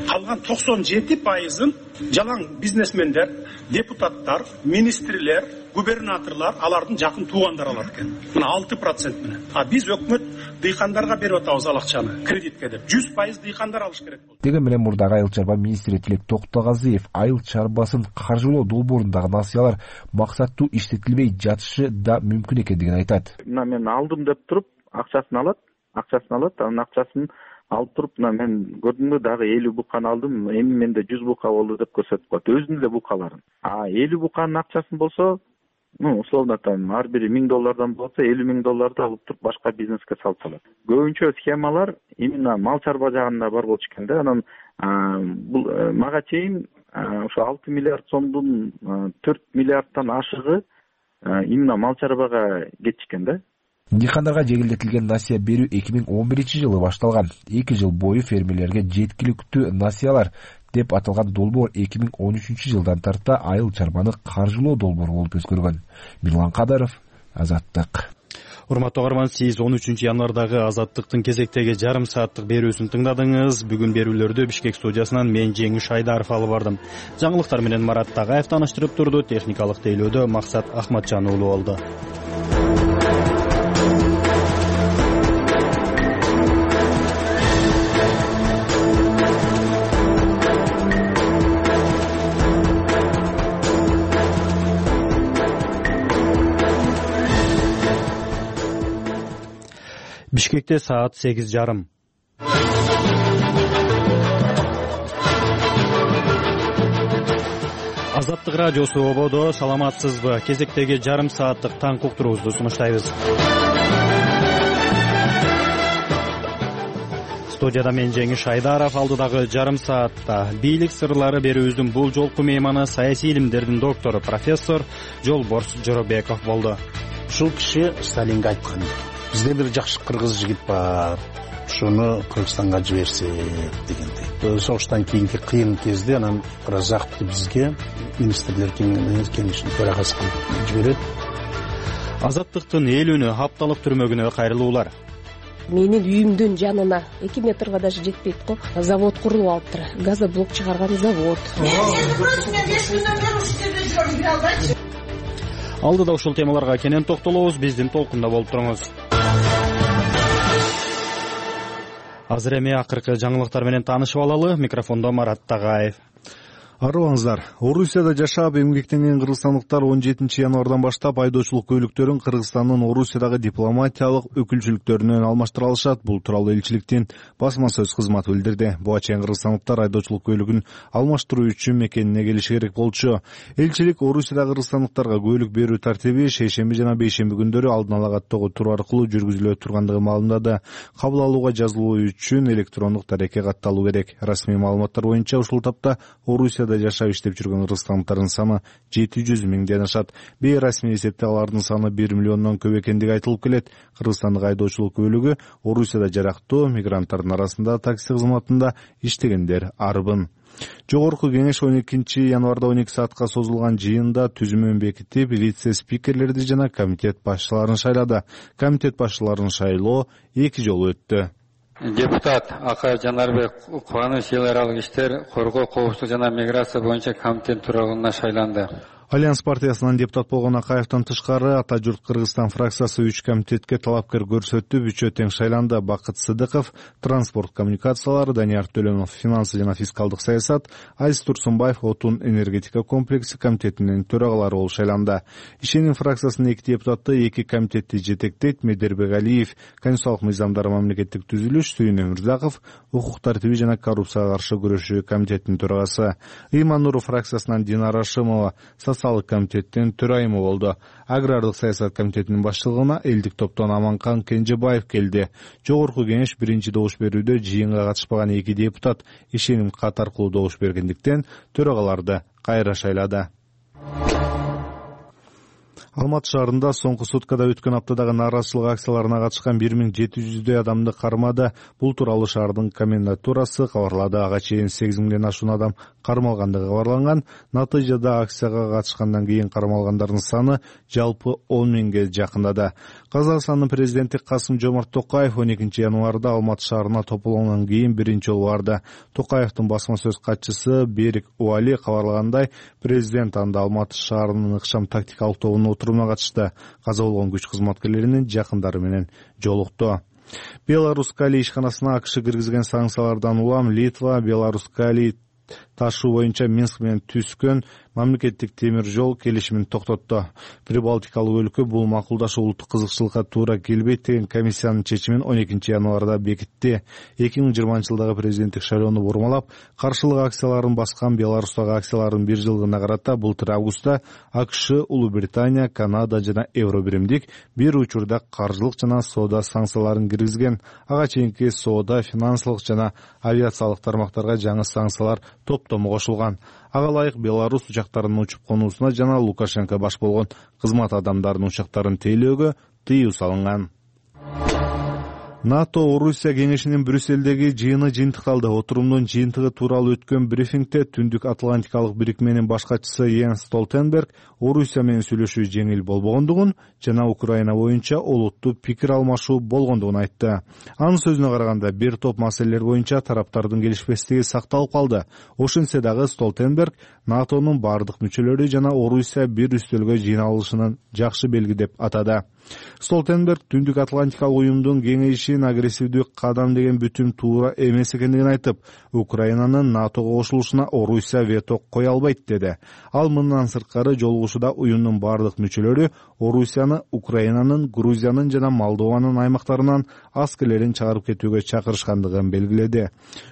Y: Калган 97%-ын жалаң бизнесмендер, депутаттар, министрлер, губернаторлар, алардын жакын туугандары алат экен. Мына 6% менен. Биз өкмөт дыйкандарга берип атабыз ал акчаны кредитке деп. 100% дыйкандар алыш керек болду.
E: Деген менен мурдагы айыл чарба министри Тилек Токтогазиев айыл чарбасын каржылоо долбоорундагы насыялар максаттуу иштетилбей жатышы да мүмкүн экендигин айтат.
Z: Мына мен алдым деп туруп акчасын алат, анын акчасын алып туруп, мен көрдүмбү дагы 50 буканы алдым, эми менде 100 бука болду деп көрсөтүп коет, өзүнүн эле букаларын. 50 буканын акчасын болсо, условно ар бири $1000 болсо, $50,000 алып туруп башка бизнеске салып салат. Көбүнчө схемалар именно мал чарба жагында бар болчу экен да. Анан бул мага чейин ошо 6 миллиард сомдун 4 миллиардтан ашыгы именно мал чарбага кетишкен да.
E: Дыйкандарга жеңилдетилген насыя берүү 2011-жылы башталган. 2 жыл бою фермерлерге жеткиликтүү насыялар деп аталган долбоор 2013-жылдан тарта айыл чарбаны каржылоо долбоору болуп өзгөргөн. Мирлан Кадаров, Азаттык.
A: Урматтуу угарман, сиз 13-январдагы Азаттыктын кезектеги жарым сааттык берүүсүн тыңдадыңыз. Бүгүн берүүлөрдү Бишкек студиясынан мен Жеңиш Айдаров алып бардым. Жаңылыктар менен Марат Тагаев тааныштырып турду. Техникалык тейлөөдө Максат Ахматжан уулу болду. Бишкекте саат 8:30. Азаттык радиосу ободо. Саламатсызбы? Кезектеги жарым сааттык таң уктуруубузду сунуштайбыз. Студияда мен Жеңиш Айдаров. Алдыдагы жарым саатта бийлик сырлары берүүбүздүн бул жолку мейманы саясий илимдердин доктору профессор Жолборс Жоробеков болду.
B: Ушул киши Сталинге айткан: бизде бир жакшы кыргыз жигит бар, ушуну Кыргызстанга жиберсек дегендей. Согуштан кийинки кыйын кезде анан Разакты бизге министрлер кеңешинин төрагасы кылып жиберет.
A: Азаттыктын эл үнү апталык түрмөгүнө кайрылуулар.
F: Менин үйүмдүн жанына 2 метрге даже жетпейт го. Завод курулуп алыптыр. Газоблок чыгарган завод.
A: Алдыда ушул темаларга кенен токтолобуз. Биздин толкунда болуп туруңуз. Азыр эми акыркы жаңылыктар менен таанышып алалы. Микрофондо Марат Тагаев.
G: Арыбаңыздар. Орусияда жашап эмгектенген кыргызстандыктар 17 январдан баштап айдоочулук көйлөктөрүн Кыргызстандын Орусиядагы дипломатиялык өкүлчүлүктөрүнөн алмаштыра алышат. Бул тууралуу элчиликтин басма сөз кызматы билдирди. Буга чейин кыргызстандыктар айдоочулук көйлөгүн алмаштыруу үчүн мекенине келиши керек болчу. Элчилик Орусиядагы кыргызстандыктарга көйлөк берүү тартиби шейшемби жана бейшемби күндөрү алдын ала каттоого туру аркылуу жүргүзүлө тургандыгы маалымдады. Кабыл алууга жазылуу үчүн электрондук дарекке катталуу керек. Расмий маалыматтар боюнча ушул тапта Орусия жашап иштеп жүргөн кыргызстандыктардын саны 700 миңден ашат. Бейрасмий эсепте алардын саны 1 миллиондон көп экендиги айтылып келет. Кыргызстандык айдоочулук көйлөгү Орусияда жарактуу мигранттардын арасында такси кызматында иштегендер арбын. Жогорку кеңеш 12 январда 12 саатка созулган жыйында түзүмөн бекитип, вице-спикерлерди жана комитет башчыларын шайлады. Комитет башчыларын шайлоо 2 жолу өттү.
H: Депутат Акай Жанарбек Кубаныч эл аралык иштер, коргоо, коопсуздук жана миграция боюнча комитет төрагалыгына шайланды.
G: Альянс партиясынан депутат болгон Акаевден тышкары Ата журт Кыргызстан фракциясы 3 комитетке талапкер көрсөтүп, 3 тең шайланды. Бакыт Сыдыков транспорт коммуникациялары, Данияр Төлөнов финансы жана фискалдык саясат, Айс Турсунбаев отун энергетика комплекси комитетинин төрагалары болуп шайланды. Ишеним фракциясынын 2 депутаты 2 комитетти жетектейт. Медербек Алиев конституциялык мыйзамдар мамлекеттик түзүлүш, Сүйүн Өмүрзаков укук тартиби жана коррупцияга каршы күрөшүү комитетинин төрагасы, Ыйман-Нуров фракциясынан Динара Ашымова социалдык комитеттин төрайымы болду. Агрардык саясат комитетинин башчылыгына элдик топтон Аманкан Кенжебаев келди. Жогорку кеңеш биринчи добуш берүүдө жыйынга катышпаган 2 депутат ишеним кат аркылуу добуш бергендиктен төрагаларды кайра шайлады. Алматы шаарында соңку суткада өткөн аптадагы нааразычылык акцияларына катышкан 1700 адамды кармады. Бул тууралуу шаардын комендатурасы кабарлады. Ага чейин 8 миңден ашуун адам кармалгандыгы кабарланган. Натыйжада акцияга катышкандан кийин кармалгандардын саны жалпы 10 миңге жакындады. Казакстандын президенти Касым-Жомарт Токаев 12 январда Алматы шаарына тополгондон кийин биринчи жолу барды. Токаевдин басма сөз катчысы Берик Уали кабарлагандай, президент анда Алматы шаарынын ыкшам тактикалык тобунун отуруна катышты. Каза болгон күч кызматкерлеринин жакындары менен жолукту. Беларусь Кали ишканасына АКШ киргизген санкциялардан улам Литва Беларусь Кали ташуу боюнча Минск менен түзгөн мамлекеттик темир жол келишимин токтотту. Прибалтикалык өлкө бул макулдашуу улуттук кызыкчылыкка туура келбейт деген комиссиянын чечимин 12 январда бекитти. 2020-жылдагы президенттик шайлоону бурмалап, каршылык акцияларын баскан Беларустагы акциялардын 1 жылдыгына карата былтыр августта АКШ, Улуу Британия, Канада жана Евро биримдик бир учурда каржылык жана соода санкцияларын киргизген. Ага чейинки соода, финансылык жана авиациялык тармактарга жаңы санкциялар топтому кошулган. Ага ылайык Беларусь учактарынын учуп конуусуна жана Лукашенко баш болгон кызмат адамдарынын учактарын тейлөөгө тыюу салынган. НАТО Орусия кеңешинин Брюссельдеги жыйыны жыйынтыкталды. Отурумдун жыйынтыгы тууралуу өткөн брифингде Түндүк Атлантикалык бирикменин башкачысы Йенс Столтенберг Орусия менен сүйлөшүү жеңил болбогондугун жана Украина боюнча олуттуу пикир алмашуу болгондугун айтты. Анын сөзүнө караганда бир топ маселелер боюнча тараптардын келишпестиги сакталып калды. Ошентсе дагы Столтенберг НАТОнун бардык мүчөлөрү жана Орусия бир үстөлгө жыйналышынын жакшы белги деп атады. Столтенберг Түндүк Атлантикалык уюмдун кеңейишин агрессивдүү кадам деген бүтүм туура эмес экендигин айтып, Украинанын НАТОго кошулушуна Орусия вето кое албайт деди. Ал мындан сырткары жолугушууда уюмдун бардык мүчөлөрү Орусияны Украинанын, Грузиянын жана Молдованын аймактарынан аскерлерин чыгарып кетүүгө чакырышкандыгын белгиледи.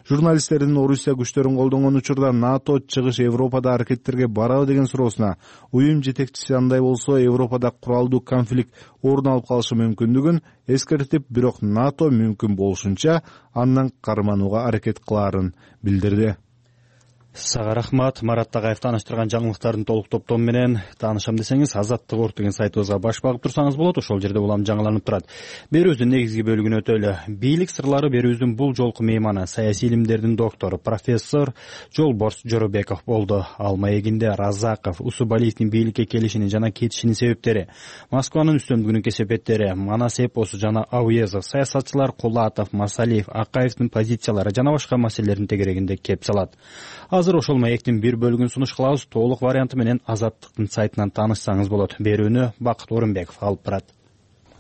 G: Журналисттердин Орусия күчтөрүн колдонгон учурда НАТО чыгыш Европада аракеттерге барабы деген суроосуна уюм жетекчиси андай болсо Европада куралдуу конфликт орун алып калышы мүмкүндүгүн эскертип, бирок НАТО мүмкүн болушунча андан карманууга аракет кылаарын билдирди.
A: Сага рахмат. Марат Тагаев тааныштырган жаңылыктардын толук топтому менен таанышам десеңиз Азаттык орт деген сайтыбызга баш багып турсаңыз болот. Ошол жерде улам жаңыланып турат. Берүүбүздүн негизги бөлүгүнө өтөлү. Бийлик сырлары берүүбүздүн бул жолку мейманы саясий илимдердин доктору профессор Жолборс Жоробеков болду. Ал маегинде Разаков, Усубалиевдин бийликке келишини жана кетишинин себептери, Москванын үстөмдүгүнүн кесепеттери, Манас эпосу жана Ауезов, саясатчылар Кулатов, Масалиев, Акаевдин позициялары жана башка маселелердин тегерегинде кеп салат. Азыр ошол маектин бир бөлүгүн сунуш кылабыз. Толук варианты менен Азаттыктын сайтынан таанышсаңыз болот. Берүүнү Бакыт Орунбеков алып барат.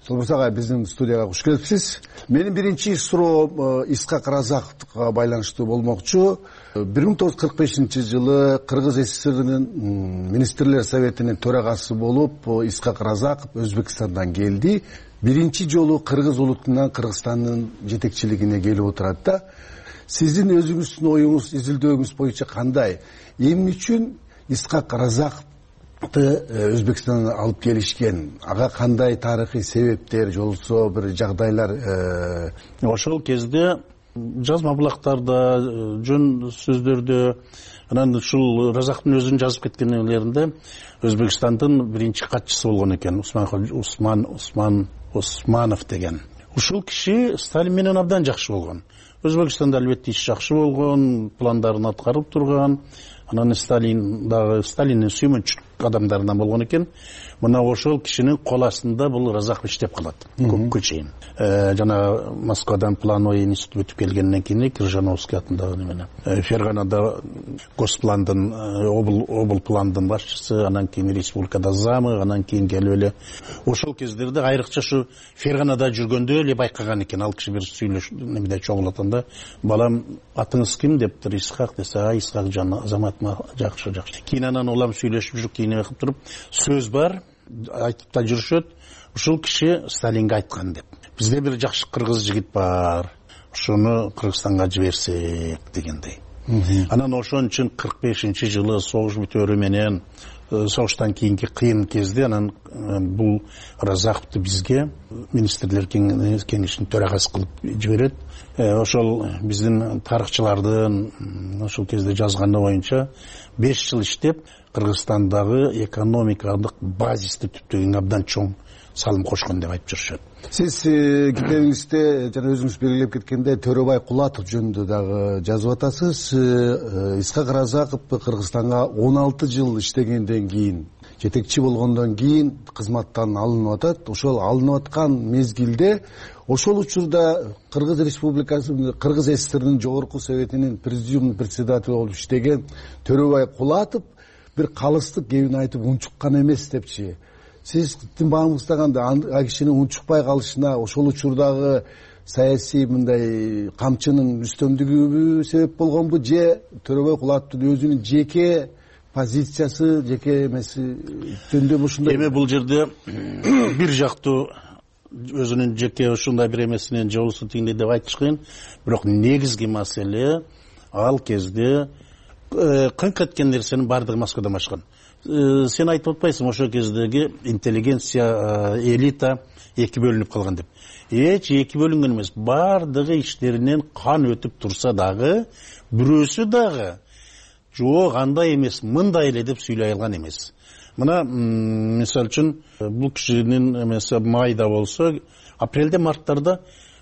C: Жолборс агай, биздин студияга куш келипсиз. Менин биринчи суроом Исхак Разаковго байланыштуу болмокчу. 1945-жылы Кыргыз СССРинин министрлер советинин төрагасы болуп Исхак Разаков Өзбекстандан келди. Биринчи жолу кыргыз улутунан Кыргызстандын жетекчилигине келип отурат да. Сиздин өзүңүздүн оюңуз, изилдөөңүз боюнча кандай? Эмне үчүн Исхак Разаковду Өзбекстандан алып келишкен? Ага кандай тарыхый себептер, жолсо бир жагдайлар?
B: Ошол кезде жазма булактарда, жөн сөздөрдө, анан ушул Разаковдун өзүнүн жазып кеткендеринде Өзбекстандын биринчи катчысы болгон экен, Усманов деген. Ушул киши Сталин менен абдан жакшы болгон. Өзбекстанда албетте иш жакшы болгон, пландарын аткарып турган. Анан Сталиндин сүймөнчү адамдарынан болгон экен. Мына ошол кишинин кол астында бул Разаков иштеп калат көпкө чейин. Жана Москвадан плановый институт өтүп келгенден кийин Крыжановский атындагы немене. Ферганада госпландын, обл пландын башчысы, анан кийин республикада замы, анан кийин келип эле ошол кездерде айрыкча ушу Ферганада жүргөндө эле байкаган экен. Ал киши бир сүйлөш немеде чогулатканда, балам атыңыз ким дептир, Исхак десе, Исхак жан азаматыма жакшы. Кийин анан улам сүйлөшүп жүрүп, кийин кылып туруп, сөз бар, айтып да жүрүшөт. Ушул киши Сталинге айткан деп. Бизде бир жакшы кыргыз жигит бар, ошону Кыргызстанга жиберсек дегендей. Анан ошон үчүн 45-жылы согуш бүтөөрү менен, согуштан кийинки кыйын кезде анан бул Разаковду бизге министрлер кеңешинин төрагасы кылып жиберет. Ошол биздин тарыхчылардын ошол кезде жазганы боюнча 5 жыл иштеп Кыргызстандагы экономикалык базисти түптөгөнгө абдан чоң салым кошкон деп айтып жүрүшөт.
C: Сиз китебиңизде жана өзүңүз белгилеп кеткендей Төрөбай Кулатов жөнүндө дагы жазып атасыз. Исхак Разаков Кыргызстанга 16 жыл иштегенден кийин, жетекчи болгондон кийин кызматтан алынып атат. Ошол алынып аткан мезгилде ошол учурда Кыргыз Республикасы, Кыргыз СССРинин жогорку советинин президиумдун председатели болуп иштеген Төрөбай Кулатов бир калыстык кебин айтып унчуккан эмес депчи. Сиздин багыңызда кандай? А кишинин унчукпай калышына ошол учурдагы саясий мындай камчынын үстөмдүгү себеп болгонбу, же Төрөбай Кулатовдун өзүнүн жеке позициясы, жеке эмеси жөнүндө ушундай?
B: Эми бул жерде бир жактуу өзүнүн жеке ушундай бир эмесинен же болбосо тигиндей деп айтыш кыйын. Бирок негизги маселе ал кезде кыңк эткен нерсенин баардыгы Москвадан башкан. Сен айтып атпайсың ошол кездеги интеллигенция, элита эки бөлүнүп калган деп. Эч эки бөлүнгөн эмес. Баардыгы иштеринен кан өтүп турса дагы, бирөөсү дагы жок андай эмес, мындай эле деп сүйлөй алган эмес. Мына мисалы үчүн бул кишинин эмеси майда болсо, апрелде, марттарда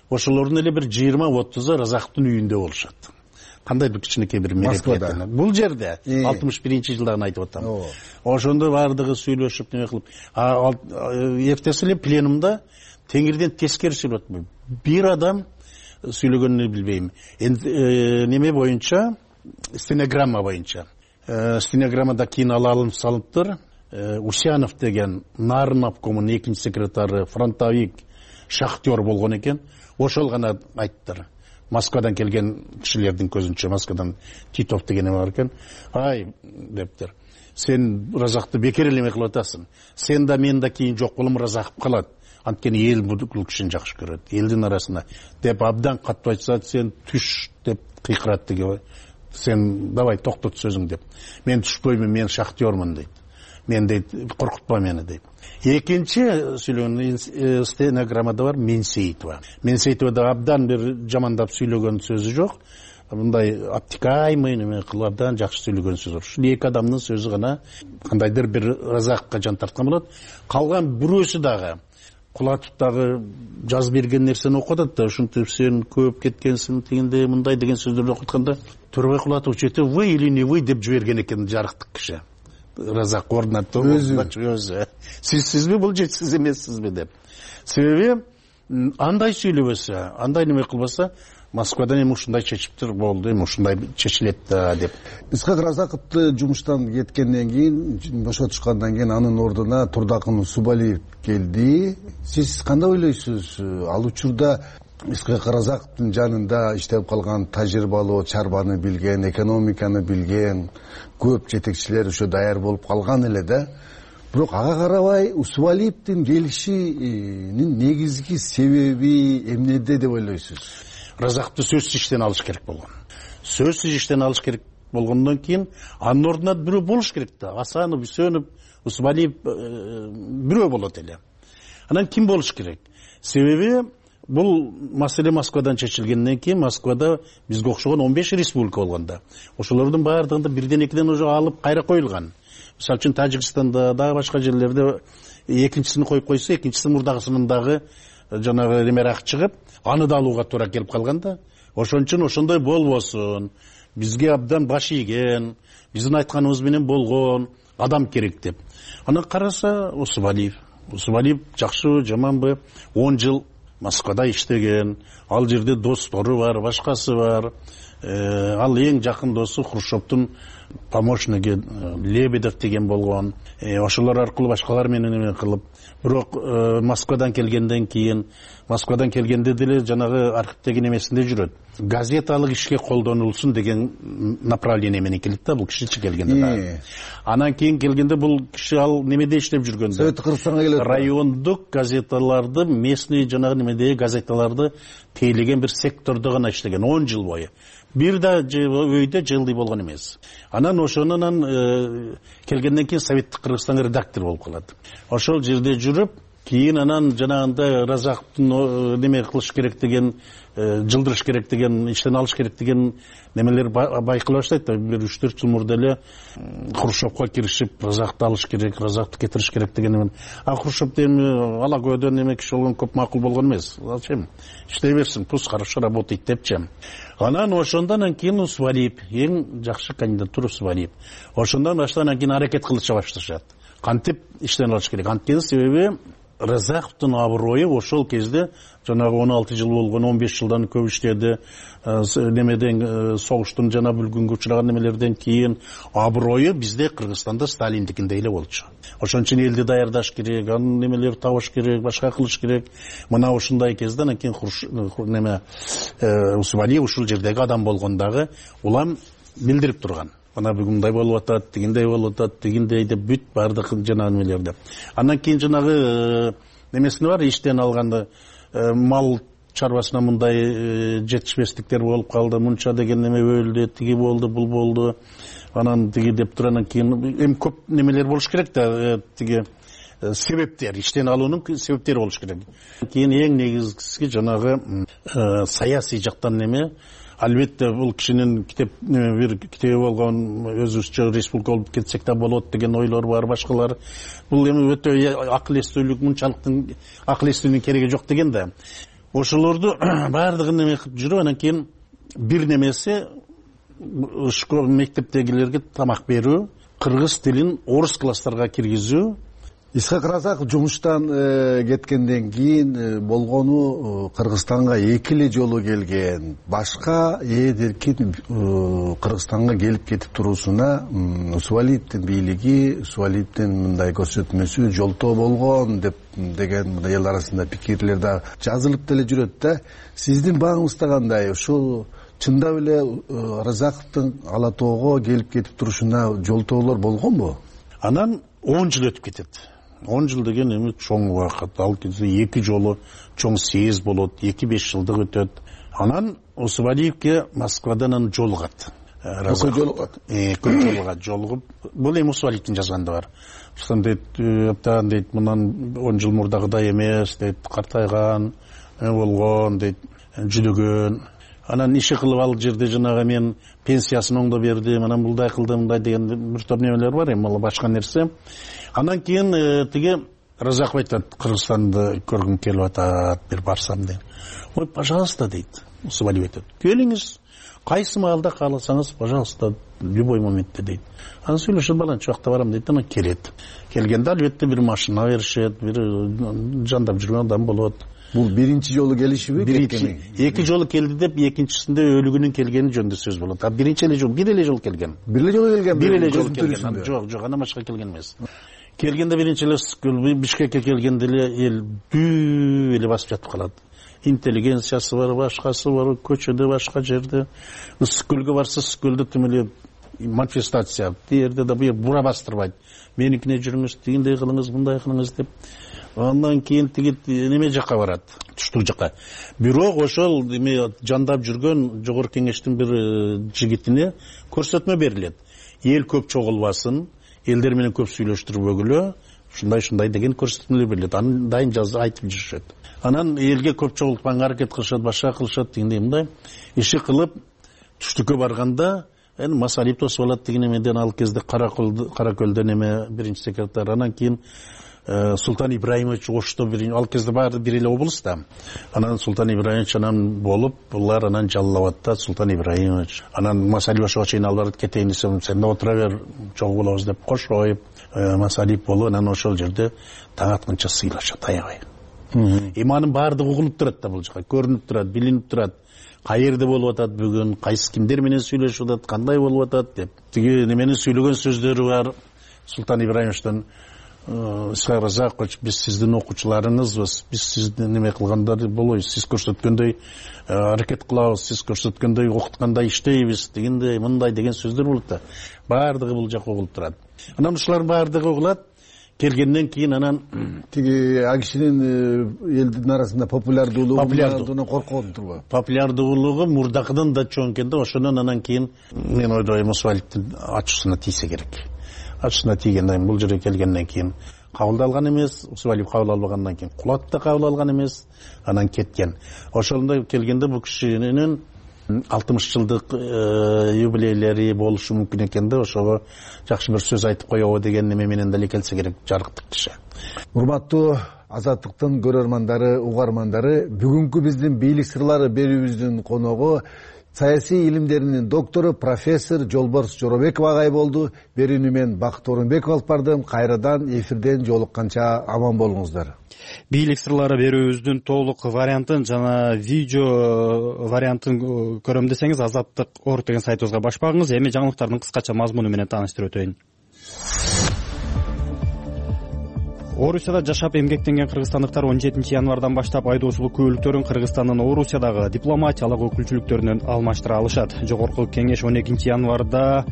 B: ошолордун эле бир 20-30 Разаковдун үйүндө болушат. Кандайдыр кичинекей бир мероприятие. Бул жерде 61-жылдагын айтып атам. Ошондо бардыгы сүйлөшүп неме кылып, эртеси эле пленумда теңирден тескери сүйлөп атпайбы. Бир адам сүйлөгөнүн билбейм. Неме боюнча, стенограмма боюнча. Стенограммада кийин алынып салыптыр. Усянов деген Нарын обкомунун 2-секретары, фронтовик, шахтер болгон экен. Ошол гана айттыр. Москвадан келген кишилердин көзүнчө, Москвадан Титов деген бар экен. Ай, дептир. Сен Разакты бекер эле кылып атасың. Сен да мен да кийин жок болом, Разаков калат. Анткени эл бул кишини жакшы көрөт. Элдин арасында деп абдан катуу айтса, сен түш деп кыйкырат деге. Сен давай токтот сөзүң деп. Мен түшпөймүн, мен шахтёрмун дейт. Мен дейт, коркутпа мени дейт. Экинчи сүйлөгөн стенограммада бар Менсеитова. Менсеитова да абдан бир жамандап сүйлөгөн сөзү жок. Мындай обтекаемый неме кылып абдан жакшы сүйлөгөн сөзү бар. Ушул эки адамдын сөзү гана кандайдыр бир Разаковго жан тарткан болот. Калган бирөөсү дагы Кулатов дагы жазып берген нерсени окуп атат да, ушинтип сен көп кеткенсиң, тигиндей мындай деген сөздөрдү окуп атканда Төрөбай Кулатов чете вы или не вы деп жиберген экен жарыктык киши. Разак ордунатты өзү. Сизби бул же сиз эмессизби деп. Себеби андай сүйлөбөсө, андай неме кылбаса, Москвадан эми ушундай чечиптир болду, эми ушундай чечилет да деп.
C: Исхак Разаковду жумуштан кеткенден кийин, бошотушкандан кийин анын ордуна Турдакын Усубалиев келди. Сиз кандай ойлойсуз? Ал учурда Исхак Разаковдун жанында иштеп калган тажрыйбалуу, чарбаны билген, экономиканы билген көп жетекчилер ошо даяр болуп калган эле да. Бирок ага карабай Усубалиевдин келишинин негизги себеби эмнеде деп ойлойсуз?
B: Разаковду сөзсүз иштен алыш керек болгон. Сөзсүз иштен алыш керек болгондон кийин анын ордуна бирөө болуш керек да. Асанов, Үсөнов, Усубалиев бирөө болот эле. Анан ким болуш керек? Себеби бул маселе Москвадан чечилгенден кийин Москвада бизге окшогон 15 республика болгондо. Ошолордун баардыгында бирден экиден уже алып кайра коюлган. Мисалы үчүн Тажикстанда дагы башка жерлерде экинчисин коюп койсо, экинчиси мурдагысынын дагы жанагы немерак чыгып, аны да алууга туура келип калган да. Ошон үчүн ошондой болбосун. Бизге абдан баш ийген, биздин айтканыбыз менен болгон адам керек деп. Аны караса Усубалиев жакшы жаманбы 10 жыл Москвада иштеген, ал жерде достору бар, башкасы бар. Ал эң жакын досу Хрущевдун помощниги Лебедев деген болгон. Ошолор аркылуу башкалар менен эме кылып, бирок Москвадан келгенде деле жанагы архивдеги немесинде жүрөт. Газеталык ишке колдонулсун деген направление менен келет да, бул кишичи келгенде да. Анан кийин келгенде бул киши ал немеде иштеп жүргөн да.
C: Совет Кыргызстанга келет.
B: Райондук газеталарды, местный жанагы немедеги газеталарды тейлеген бир сектордо гана иштеген 10 жыл бою. Бир да өйдө жылдый болгон эмес. Анан ошонун келгенден кийин Советтик Кыргызстан редактор болуп калат. Ошол жерде жүрүп, кийин анан жанагындай Разаковдун неме кылыш керек деген, жылдырыш керек деген, иштен алыш керек деген немелер байкала баштайт да. Бир 3-4 жыл мурда эле Хрущевко киришип, Разаковду алыш керек, Разаковду кетириш керек деген. Хрущев эми ала көдөн неме киши болгон, көп макул болгон эмес. Алчем иштей берсин, пусть хорошо работает депчи. Анан ошондон кийин Усубалиев, эң жакшы кандидатура Усубалиев. Ошондон баштан кийин аракет кылыша башташат. Кантип иштен алыш керек? Анткени себеби Разаковдун аброю ошол кезде жанагы 16 жыл болгон, 15 жылдан көп иштеди. Немеден согуштун жана бүлгүнгө учураган немелерден кийин аброю бизде Кыргызстанда Сталиндикиндей эле болчу. Ошон үчүн элди даярдаш керек, анын немелерди табыш керек, башка кылыш керек. Мына ушундай кезде анан кийин Усубалиев ушул жердеги адам болгондагы улам билдирип турган. Мына бүгүндай болуп атат, тигиндей болуп атат, тигиндей деп бүт бардык жанагы немелерди. Андан кийин жанагы немесине бар, иштен алганда мал чарбасына мындай жетишпестиктер болуп калды, мынча деген неме өлдү, тиги болду, бул болду. Анан тиги деп туруп анан кийин эми көп немелер болуш керек да, тиги себептер, иштен алуунун себептери болуш керек. Кийин эң негизгиси жанагы саясий жактан неме. Албетте бул кишинин бир китеби болгон, өзүбүзчө республика болуп кетсек да болот деген ойлор бар, башкалар. Бул эми өтө акыл эстүүлүк, мынчалыктын акыл эстүүнүн кереги жок деген да. ошолорду баардыгын эме кылып жүрүп анан кийин бир немеси школа мектептегилерге тамак берүү, кыргыз тилин орус класстарга киргизүү.
C: Исхак Разаков жумуштан кеткенден кийин болгону Кыргызстанга 2 эле жолу келген. Башка эркин Кыргызстанга келип кетип туруусуна Усубалиевдин бийлиги, Усубалиевдин мындай көрсөтмөсү жолтоо болгон деген мындай эл арасында пикирлер да жазылып деле жүрөт да. Сиздин багыңызда кандай? Ушул чындап эле Разаковдун Ала Тоого келип кетип турушуна жолтоолор болгонбу?
B: Анан 10 жыл өтүп кетет. 10 жыл деген эми чоң убакыт. Ал кезде 2 жолу чоң съезд болот, 2-5 жылдык өтөт. Анан Усубалиевге Москвадан жолугат. Жолугуп, бул эми Усубалиевдин жазганда бар. Ушун дейт, аптан дейт, мындан 10 жыл мурдагыдай эмес, дейт, картайган, болгон, дейт, жүдөгөн. Анан иши кылып ал жерде жанагы мен пенсиясын оңдоп бердим, анан мындай кылдым, мындай деген бир топ немелер бар эми, ал башка нерсе. Анан кийин тиги Разаков айтат, Кыргызстанды көргүм келип атат, бир барсам дейт. Ой, пожалуйста дейт. Усубалиев айтат. Келиңиз, кайсы маалда кааласаңыз, пожалуйста, любой моментте дейт. Анан сүйлөшүп баланча убакта барам дейт, анан келет. Келгенде албетте бир машина беришет, бир жандап жүргөн адам болот.
C: Бул биринчи жолу келишиби?
B: Биринчи, 2 жолу келди деп, экинчисинде өлүгүнүн келгени жөнүндө сөз болот. А биринчи эле жол, бир эле жол келген.
C: Бир эле жолу келген?
B: Бир эле жолу келген. Жок, андан башка келген эмес. Келгенде биринчи эле Бишкекке келгенде эле эл дүү эле басып жатып калат. Интеллигенциясы бар, башкасы бар, көчөдө, башка жерде. Ысык-көлгө барса, Ысык-көлдө тим эле манифестация. Тиерде да бу бура бастырбайт. Меникине жүрүңүз, тигиндей кылыңыз, мындай кылыңыз деп. Андан кийин тиги неме жакка барат, түштүк жакка. Бирок ошол эме жандап жүргөн жогорку кеңештин бир жигитине көрсөтмө берилет. Эл көп чогулбасын, элдер менен көп сүйлөштүрбөгүлө, ушундай деген көрсөтмөлөр берилет. Анын дайын айтып жүрүшөт. Анан элге көп чогултпаганга аракет кылышат, башка кылышат, тигиндей мындай иши кылып түштүккө барганда эми Масалиев тосуп алат деген эмеден, ал кезде Каракөлдөн эме биринчи секретарь, анан кийин Султан Ибраимович Ошто ал кезде баары бир эле облус да. Анан Султан Ибраимович анан болуп, булар анан жаллап атат Султан Ибраимович. Анан Масалиев ошого чейин ал барып кетейин десем, сен да отура бер, чогуу болобуз деп кошоюп, Масалиев болуп, анан ошол жерде таң атканча сыйлашат аябай. Эми анын баардыгы угулуп турат да бул жака, көрүнүп турат, билинип турат. Каерде болуп атат бүгүн, кайсы кимдер менен сүйлөшүп атат, кандай болуп атат деп. Тиги неменин сүйлөгөн сөздөрү бар Султан Ибраимовичтен. Исхак Разакович, биз сиздин окуучуларыңызбыз, биз сиздин неме кылгандар болобуз, сиз көрсөткөндөй аракет кылабыз, сиз көрсөткөндөй окуткандай иштейбиз, дегендей, мындай деген сөздөр болот да. Баардыгы бул жака угулуп турат. Анан ушулардын баардыгы угулат. Келгенден кийин анан
C: тиги а кишинин элдин арасында популярдуулугунан коркон турбу?
B: Популярдуулугу мурдакыдан да чоң экен да, ошондон анан кийин мен ойдойм Усубалиевдин ачуусуна тийсе керек. Ачуусуна тийгенден бул жерге келгенден кийин кабыл алган эмес, Усубалиев кабыл албагандан кийин Кулат да кабыл алган эмес, анан кеткен. Ошондой келгенде бул кишинин 60 жылдык юбилейлери болушу мүмкүн экен да, ошого жакшы бир сөз айтып коебу деген неме менен деле келсе керек, жарыктык киши.
C: Урматтуу Азаттыктын көрөрмандары, угармандары, бүгүнкү биздин бийлик сырлары берүүбүздүн коногу саясий илимдеринин доктору профессор Жолборс Жоробеков агай болду. Берүүнү мен Бакыт Орунбеков алып бардым. Кайрадан эфирден жолукканча аман болуңуздар.
A: Бийлик сырлары берүүбүздүн толук вариантын жана видео вариантын көрөм десеңиз Азаттык.org деген сайтыбызга баш багыңыз. Эми жаңылыктардын кыскача мазмуну менен тааныштырып өтөйүн. Орусияда жашап эмгектенген кыргызстандыктар 17 январдан баштап айдоочулук күбөлүктөрүн Кыргызстандын Орусиядагы дипломатиялык өкүлчүлүктөрүнөн алмаштыра алышат. Жогорку кеңеш 12 январда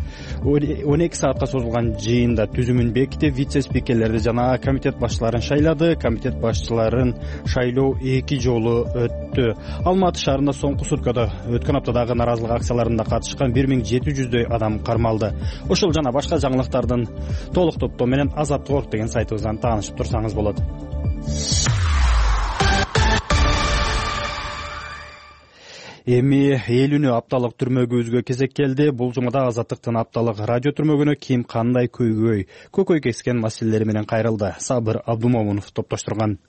A: 12 саатка созулган жыйында түзүмүн бекитип, вице-спикерлерди жана комитет башчыларын шайлады. Комитет башчыларын шайлоо 2 жолу өттү. Алматы шаарында соңку суткада өткөн аптадагы наразылык акцияларында катышкан 1700дөй адам кармалды. Ошол жана башка жаңылыктардын толук топтоо менен Азаттык.org деген сайтыбыздан таанышып турсаңыз болот. Эми эл үнү апталык түрмөгүбүзгө кезек келди. Бул жумада Азаттыктын апталык радио түрмөгүнө ким кандай көкөй кескен маселелери менен кайрылды. Сабыр Абдумомунов топтоштурган.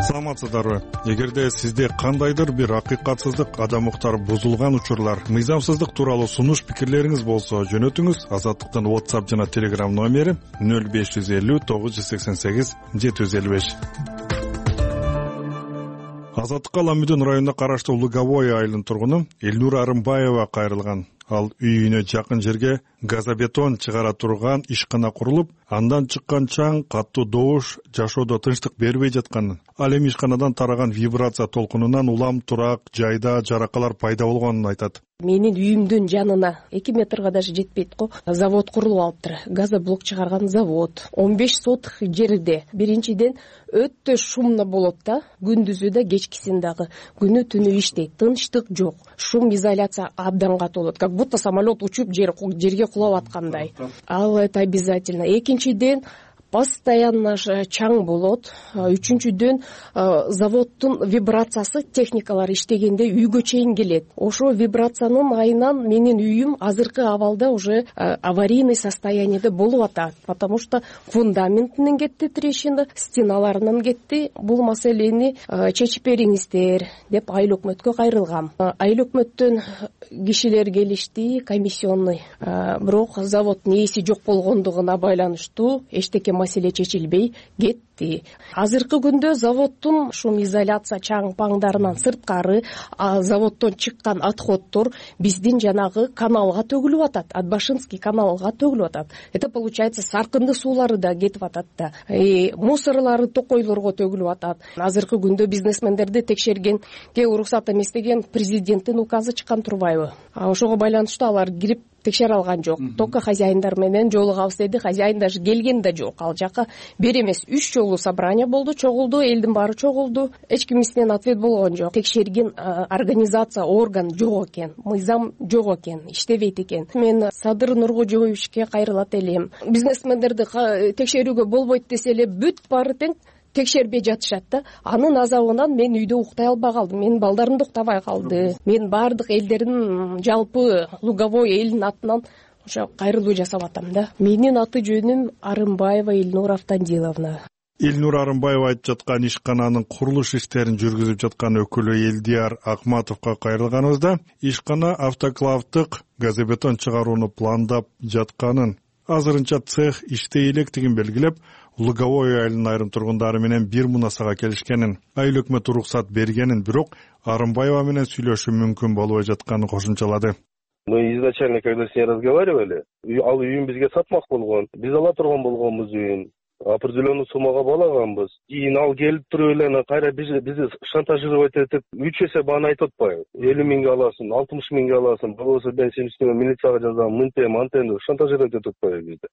G: саламатсыздарбы? Эгерде сизде кандайдыр бир акыйкатсыздык, адам укуктары бузулган учурлар, мыйзамсыздык тууралуу сунуш пикирлериңиз болсо жөнөтүңүз. Азаттыктын WhatsApp жана Telegram номери 0550 988 755. Азаттыкка Ламүдөн районуна караштуу Луговой айылынын тургуну Элнура Арымбаева кайрылган. Ал үйүнө жакын жерге газобетон чыгара турган ишкана курулуп, андан чыккан чаң, каттуу добуш жашоодо тынчтык бербей жатканын, ал эми ишканадан тараган вибрация толкунунан улам турак жайда жаракалар пайда болгонун айтат.
F: Менин үйүмдүн жанына 2 метрге даже жетпейт го. Завод курулуп алыптыр. Газоблок чыгарган завод. 15 соток жерде. Биринчиден өтө шумно болот да, күндүзү да, кечкисин дагы. Күнү түнү иштейт. Тынчтык жок. Шум изоляция абдан катуу болот. Как будто самолет учуп жерге кулап аткандай. Ал это обязательно. Экинчиден постоянно чаң болот. Үчүнчүдөн заводдун вибрациясы техникалар иштегенде үйгө чейин келет. Ошо вибрациянын айынан менин үйүм азыркы абалда уже аварийный состояниеде болуп атат. Потому что фундаментинен кетти трещина, стеналарынан кетти. Бул маселени чечип бериңиздер деп айыл өкмөткө кайрылгам. Айыл өкмөттөн кишилер келишти, комиссионный. Бирок заводдун ээси жок болгондугуна байланыштуу эчтеке маселе чечилбей кетти. Азыркы күндө заводдун шум изоляция чаң паңдарынан сырткары заводдон чыккан отходдор биздин жанагы каналга төгүлүп атат. Атбашинский каналга төгүлүп атат. Это получается саркынды суулары да кетип атат да. Мусорлары токойлорго төгүлүп атат. Азыркы күндө бизнесмендерди текшергенге уруксат эместеген президенттин указы чыккан турбайбы? Ошого байланыштуу алар кирип текшере алган жок. Только хозяиндар менен жолугабыз деди. Хозяин даже келген да жок. Ал жака бир эмес 3 жолу собрание болду, чогулду, элдин баары чогулду. Эч кимисинен ответ болгон жок. Текшерген организация, орган жок экен, мыйзам жок экен, иштебейт экен. Мен Садыр Нуркожоевичке кайрылат элем. Бизнесмендерди текшерүүгө болбойт десе эле бүт баары тең текшербей жатышат да. Анын азабынан мен үйдө уктай албай калдым. Менин балдарым да уктабай калды. Мен баардык элдердин жалпы Луговой элинин атынан ошо кайрылуу жасап атам да. Менин аты жөнүм Арымбаева Элнура Автандиловна.
G: Элнура Арымбаева айтып жаткан ишкананын курулуш иштерин жүргүзүп жаткан өкүлү Элдияр Акматовго кайрылганыбызда ишкана автоклавдык газобетон чыгарууну пландап жатканын, азырынча цех иштей электигин белгилеп, Луговой айылынын айрым тургундары менен бир мунасага келишкенин, айыл өкмөтү уруксат бергенин, бирок Арымбаева менен сүйлөшүү мүмкүн болбой жатканын кошумчалады.
I: Мы изначально, когда с ней разговаривали, ал үйүн бизге сатмак болгон. Биз ала турган болгонбуз үйүн. Определенный суммага балаганбыз. Кийин ал келип туруп эле кайра бизди шантажировать этип 3 эсе бааны айтып атпайбы? 50 миңге аласың, 60 миңге аласың, болбосо мен сенин үстүңө милицияга жазам, мынтем, антем деп шантажировать этип атпайбы бизди.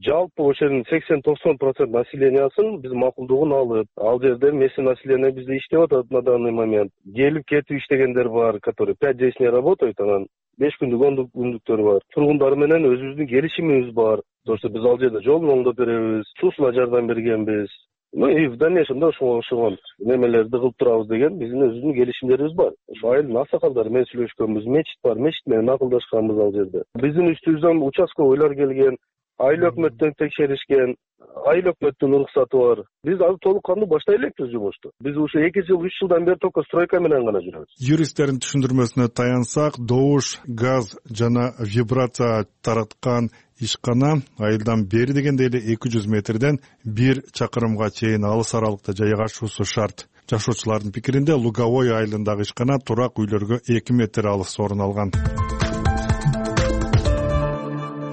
I: Жалпы ошонун 80-90% населениясын биз макулдугун алып, ал жерде местный население бизде иштеп атат на данный момент. Келип кетип иштегендер бар, которые 5-10 дней работают, анан 5 күндүк, 10 күндүктөр бар. Тургундар менен өзүбүздүн келишимибиз бар. То, что биз ал жерде жолун оңдоп беребиз, суусуна жардам бергенбиз. И в дальнейшем да ошого немелерди кылып турабыз деген биздин өзүбүздүн келишимдерибиз бар. Ошо айылдын аксакалдары менен сүйлөшкөнбүз, мечит бар, мечит менен акылдашканбыз ал жерде. Биздин үстүбүздөн участковыйлар келген, айыл өкмөттөн текшеришкен, айыл өкмөттүн уруксаты бар. Биз азыр толук кандуу баштай элекпиз жумушту. Биз ушу 2 жыл, 3 жылдан бери только стройка менен гана жүрөбүз.
G: Юристтердин түшүндүрмөсүнө таянсак, добуш, газ жана вибрация тараткан ишкана айылдан бери дегенде эле 200 метрден 1 чакырымга чейин алыс аралыкта жайгашуусу шарт. Жашоочулардын пикиринде Луговой айылындагы ишкана турак үйлөргө 2 метр алыс орун алган.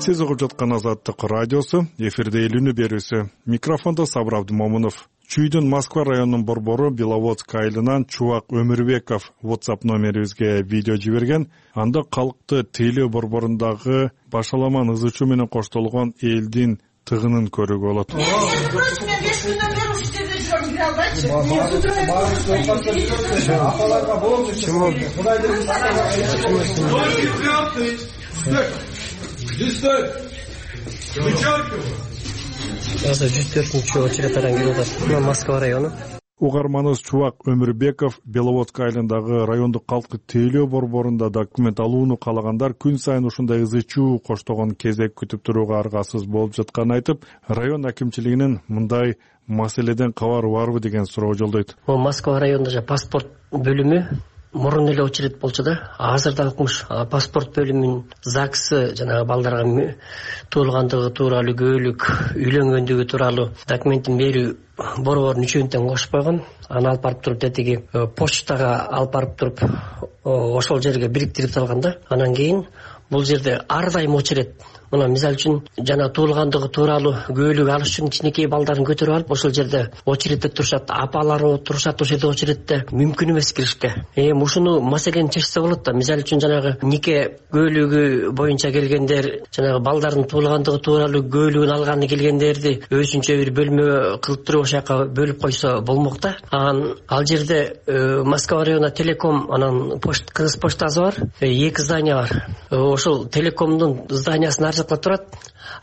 G: Сиз угуп жаткан Азаттык радиосу, эфирде Элүүнү берүүсү. Микрофондо Сабыр Абдымомунов. Чүйдүн Москва районунун борбору Беловодск айылынан Чубак Өмүрбеков WhatsApp номерибизге видео жиберген. Анда калкты Тейлөө борборундагы башаламан ызычуу менен коштолгон элдин тыгынын көрүүгө болот.
J: Осы 104-чү очередтардан келип атат. Москва району.
G: Угарманыбыз Чубак Өмүрбеков Беловодск айылындагы райондук калктык тейлөө борборунда документ алууну каалагандар күн сайын ушундай ызы-чуу коштогон кезек күтүп турууга аргасыз болуп жатканын айтып, район акимчилигинин мындай маселеден кабары барбы деген суроо жолдойт.
J: Москва районунда паспорт бөлүмү мурун эле очередь болчу да, азыр да укмуш. Паспорт бөлүмүнүн ЗАГСы жанагы балдарга туулгандыгы тууралуу, көөлүк, үйлөнгөндүгү тууралуу документин берүү борборунун үчөөнтен кошуп койгон. Аны алып барып туруп детиги почтага алып барып туруп ошол жерге бириктирип салган да. Анан кийин бул жерде ар дайым очередь. Мына мисалы үчүн жана туулгандыгы тууралуу көөлүк алыш үчүн кичинекей балдарын көтөрүп алып ошол жерде очередте турушат, апалары турушат ошол жерде очередте, мүмкүн эмес киришке. Ушуну маселени чечсе болот да. Мисалы үчүн жанагы нике көөлүгү боюнча келгендер, жанагы балдардын туулгандыгы тууралуу көөлүгүн алганы келгендерди өзүнчө бир бөлмө кылып туруп ошол жака бөлүп койсо болмок да. Ал жерде Москва районунда Телеком, анан Кыргыз поштасы бар, 2 здание бар. Ошол Телекомдун зданиясынын ар жакта турат.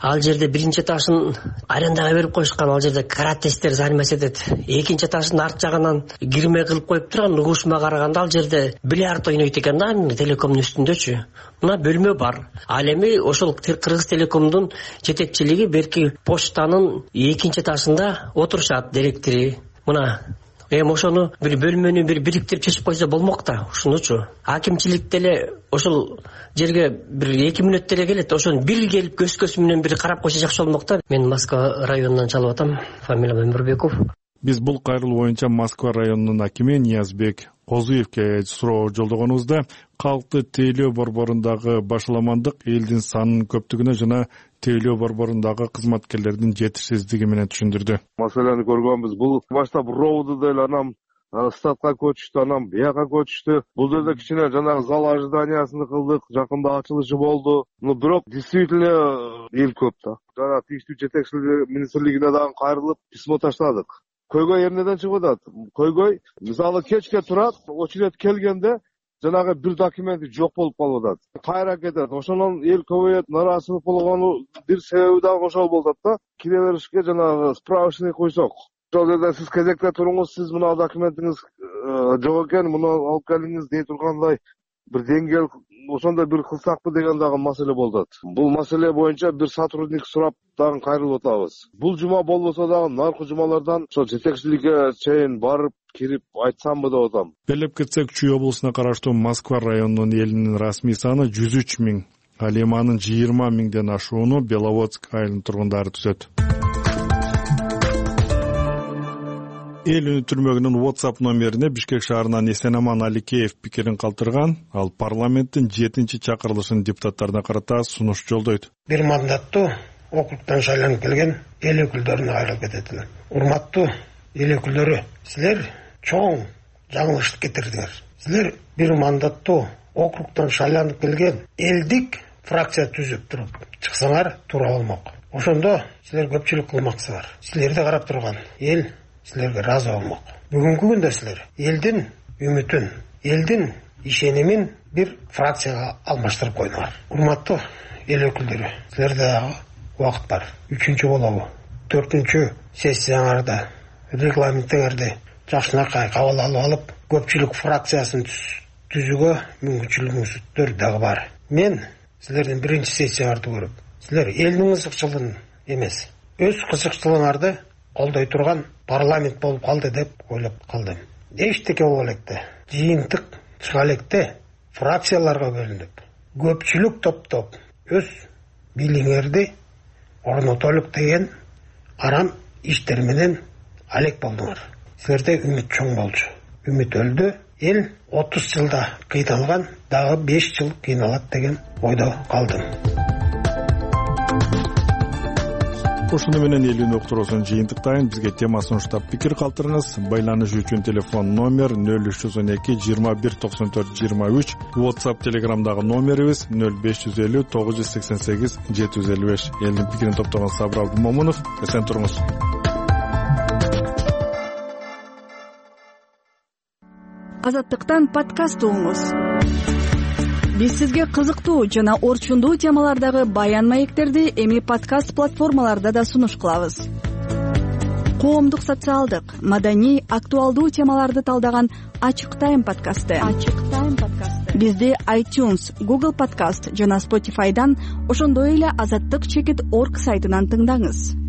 J: Ал жерде биринчи этажын арендага берип коюшкан, ал жерде каратесттер заниматься этет. Экинчи этаждын арт жагынан кирме кылып коюп турган, угушума караганда ал жерде бильярд ойнойт экен да, Телекомдун үстүндөчү. Мына бөлмө бар. Ал эми ошол Кыргыз Телекомдун жетекчилиги берки почтанын экинчи этажында отурушат директори. Мына ошону бир бөлмөнү бириктирип чечип койсо болмок да, ушунучу. Акимчилик деле ошол жерге бир 2 мүнөт деле келет, ошону бир келип көз менен бир карап койсо жакшы болмок да. Мен Москва районунан чалып атам, фамилиям Өмүрбеков.
G: Биз бул кайрылуу боюнча Москва районунун акими Ниязбек Козуевке суроо жолдогонубузда калкты тейлөө борборундагы башаламандык элдин санынын көптүгүнө жана тейлөө борборундагы кызматкерлердин жетишсиздиги менен түшүндүрдү.
W: Маселени көргөнбүз. Бул баштап роуду деле анан статка көчүштү, анан бияка көчүштү. Бул жерде кичине жанагы зал ожиданиясын кылдык, жакында ачылышы болду. Бирок действительно эл көп да. Жана тийиштүү жетекчилик министрлигине дагы кайрылып письмо таштадык. Көйгөй эмнеден чыгып атат? Көйгөй мисалы кечке турат, очередь келгенде жанагы бир документи жок болуп калып атат. Кайра кетет. Ошондон эл көбөйөт, нааразычылык болгону бир себеби дагы ошол болуп атат да. Кире беришке жанагы справочный койсок. Ошол жерде сиз кезекте туруңуз, сиз мына документиңиз жок экен, муну алып келиңиз дей тургандай бир деңгээл ошондой бир кылсакпы деген дагы маселе болуп атат. Бул маселе боюнча бир сотрудник сурап дагы кайрылып атабыз. Бул жума болбосо дагы наркы жумалардан ошо жетекчиликке чейин барып кирип айтсамбы деп атам.
G: Белеп кетсек, Чүй облусуна караштуу Москва районунун элинин расмий саны 103 000, ал эми анын 20 000ден ашууну Беловодск айылынын тургундары түзөт. Эл үнү түрмөгүнүн WhatsApp номерине Бишкек шаарынан Эсенаман Аликеев пикирин калтырган. Ал парламенттин 7-чи чакырылышын депутаттарына карата сунуш жолдойт.
K: Бир мандаттуу округтан шайланып келген эл өкүлдөрүнө кайрылып кетет элем. Урматтуу эл өкүлдөрү, силер чоң жаңылыш кетирдиңер. Силер бир мандаттуу округтан шайланып келген элдик фракция түзүп туруп чыксаңар туура болмок. Ошондо силер көпчүлүк кылмаксыздар. Силерди карап турган эл силерге ыраазы болмок. Бүгүнкү күндө силер элдин үмүтүн, элдин ишенимин бир фракцияга алмаштырып койдуңар. Урматтуу эл өкүлдөрү, силерде дагы убакыт бар. 3-чү болобу, 4-чү сессияңарда регламентиңерди жакшынакай кабыл алып алып, көпчүлүк фракциясын түзүүгө мүмкүнчүлүгүңүздөр дагы бар. Мен силердин биринчи сессияңарды көрүп, силер элдин кызыкчылыгын эмес, өз кызыкчылыгыңарды колдой турган парламент болуп калды деп ойлоп калдым. Эчтеке болбо электе, жыйынтык чыга электе фракцияларга бөлүнүп, көпчүлүк топтоп өз бийлигиңерди орнотолук деген арам иштер менен алек болдуңар. Силерде үмүт чоң болчу. Үмүт өлдү. Эл 30 жылда кыйналган, дагы 5 жыл кыйналат деген ойдо калдым.
G: Ошону менен элүүнү уктуруусун жыйынтыктайын. Бизге тема сунуштап пикир калтырыңыз. Байланыш үчүн телефон номер 0312 21 94 23. WhatsApp, Telegramдагы номерибиз 0550 988 755. Элдин пикирин топтогон Сабыр Абдумомунов. Эсен туруңуз.
M: Азаттыктан подкаст угуңуз. Биз сизге кызыктуу жана орчундуу темалардагы баян маектерди эми подкаст платформаларда да сунуш кылабыз. коомдук, социалдык, маданий, актуалдуу темаларды талдаган Ачык Тайм подкасты. Бизди iTunes, Google Podcast жана Spotify'дан, ошондой эле azattik.org сайтынан тыңдаңыз.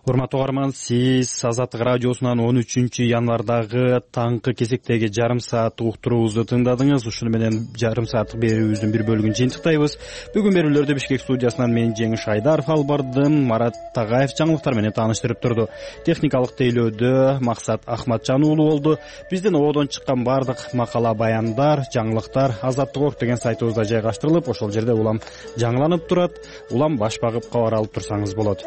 A: Урматтуу угарман, сиз Азаттык радиосунан 13 январдагы таңкы кезектеги жарым саат уктуруубузду тыңдадыңыз. Ушуну менен жарым сааттык берүүбүздүн бир бөлүгүн жыйынтыктайбыз. Бүгүн берүүлөрдү Бишкек студиясынан мен Жеңиш Айдаров алып бардым. Марат Тагаев жаңылыктар менен тааныштырып турду. Техникалык тейлөөдө Максат Ахматжан уулу болду. Биздин ободон чыккан бардык макала, баяндар, жаңылыктар Азаттык.org деген сайтыбызда жайгаштырылып, ошол жерде улам жаңыланып турат. Улам баш багып кабар алып турсаңыз болот.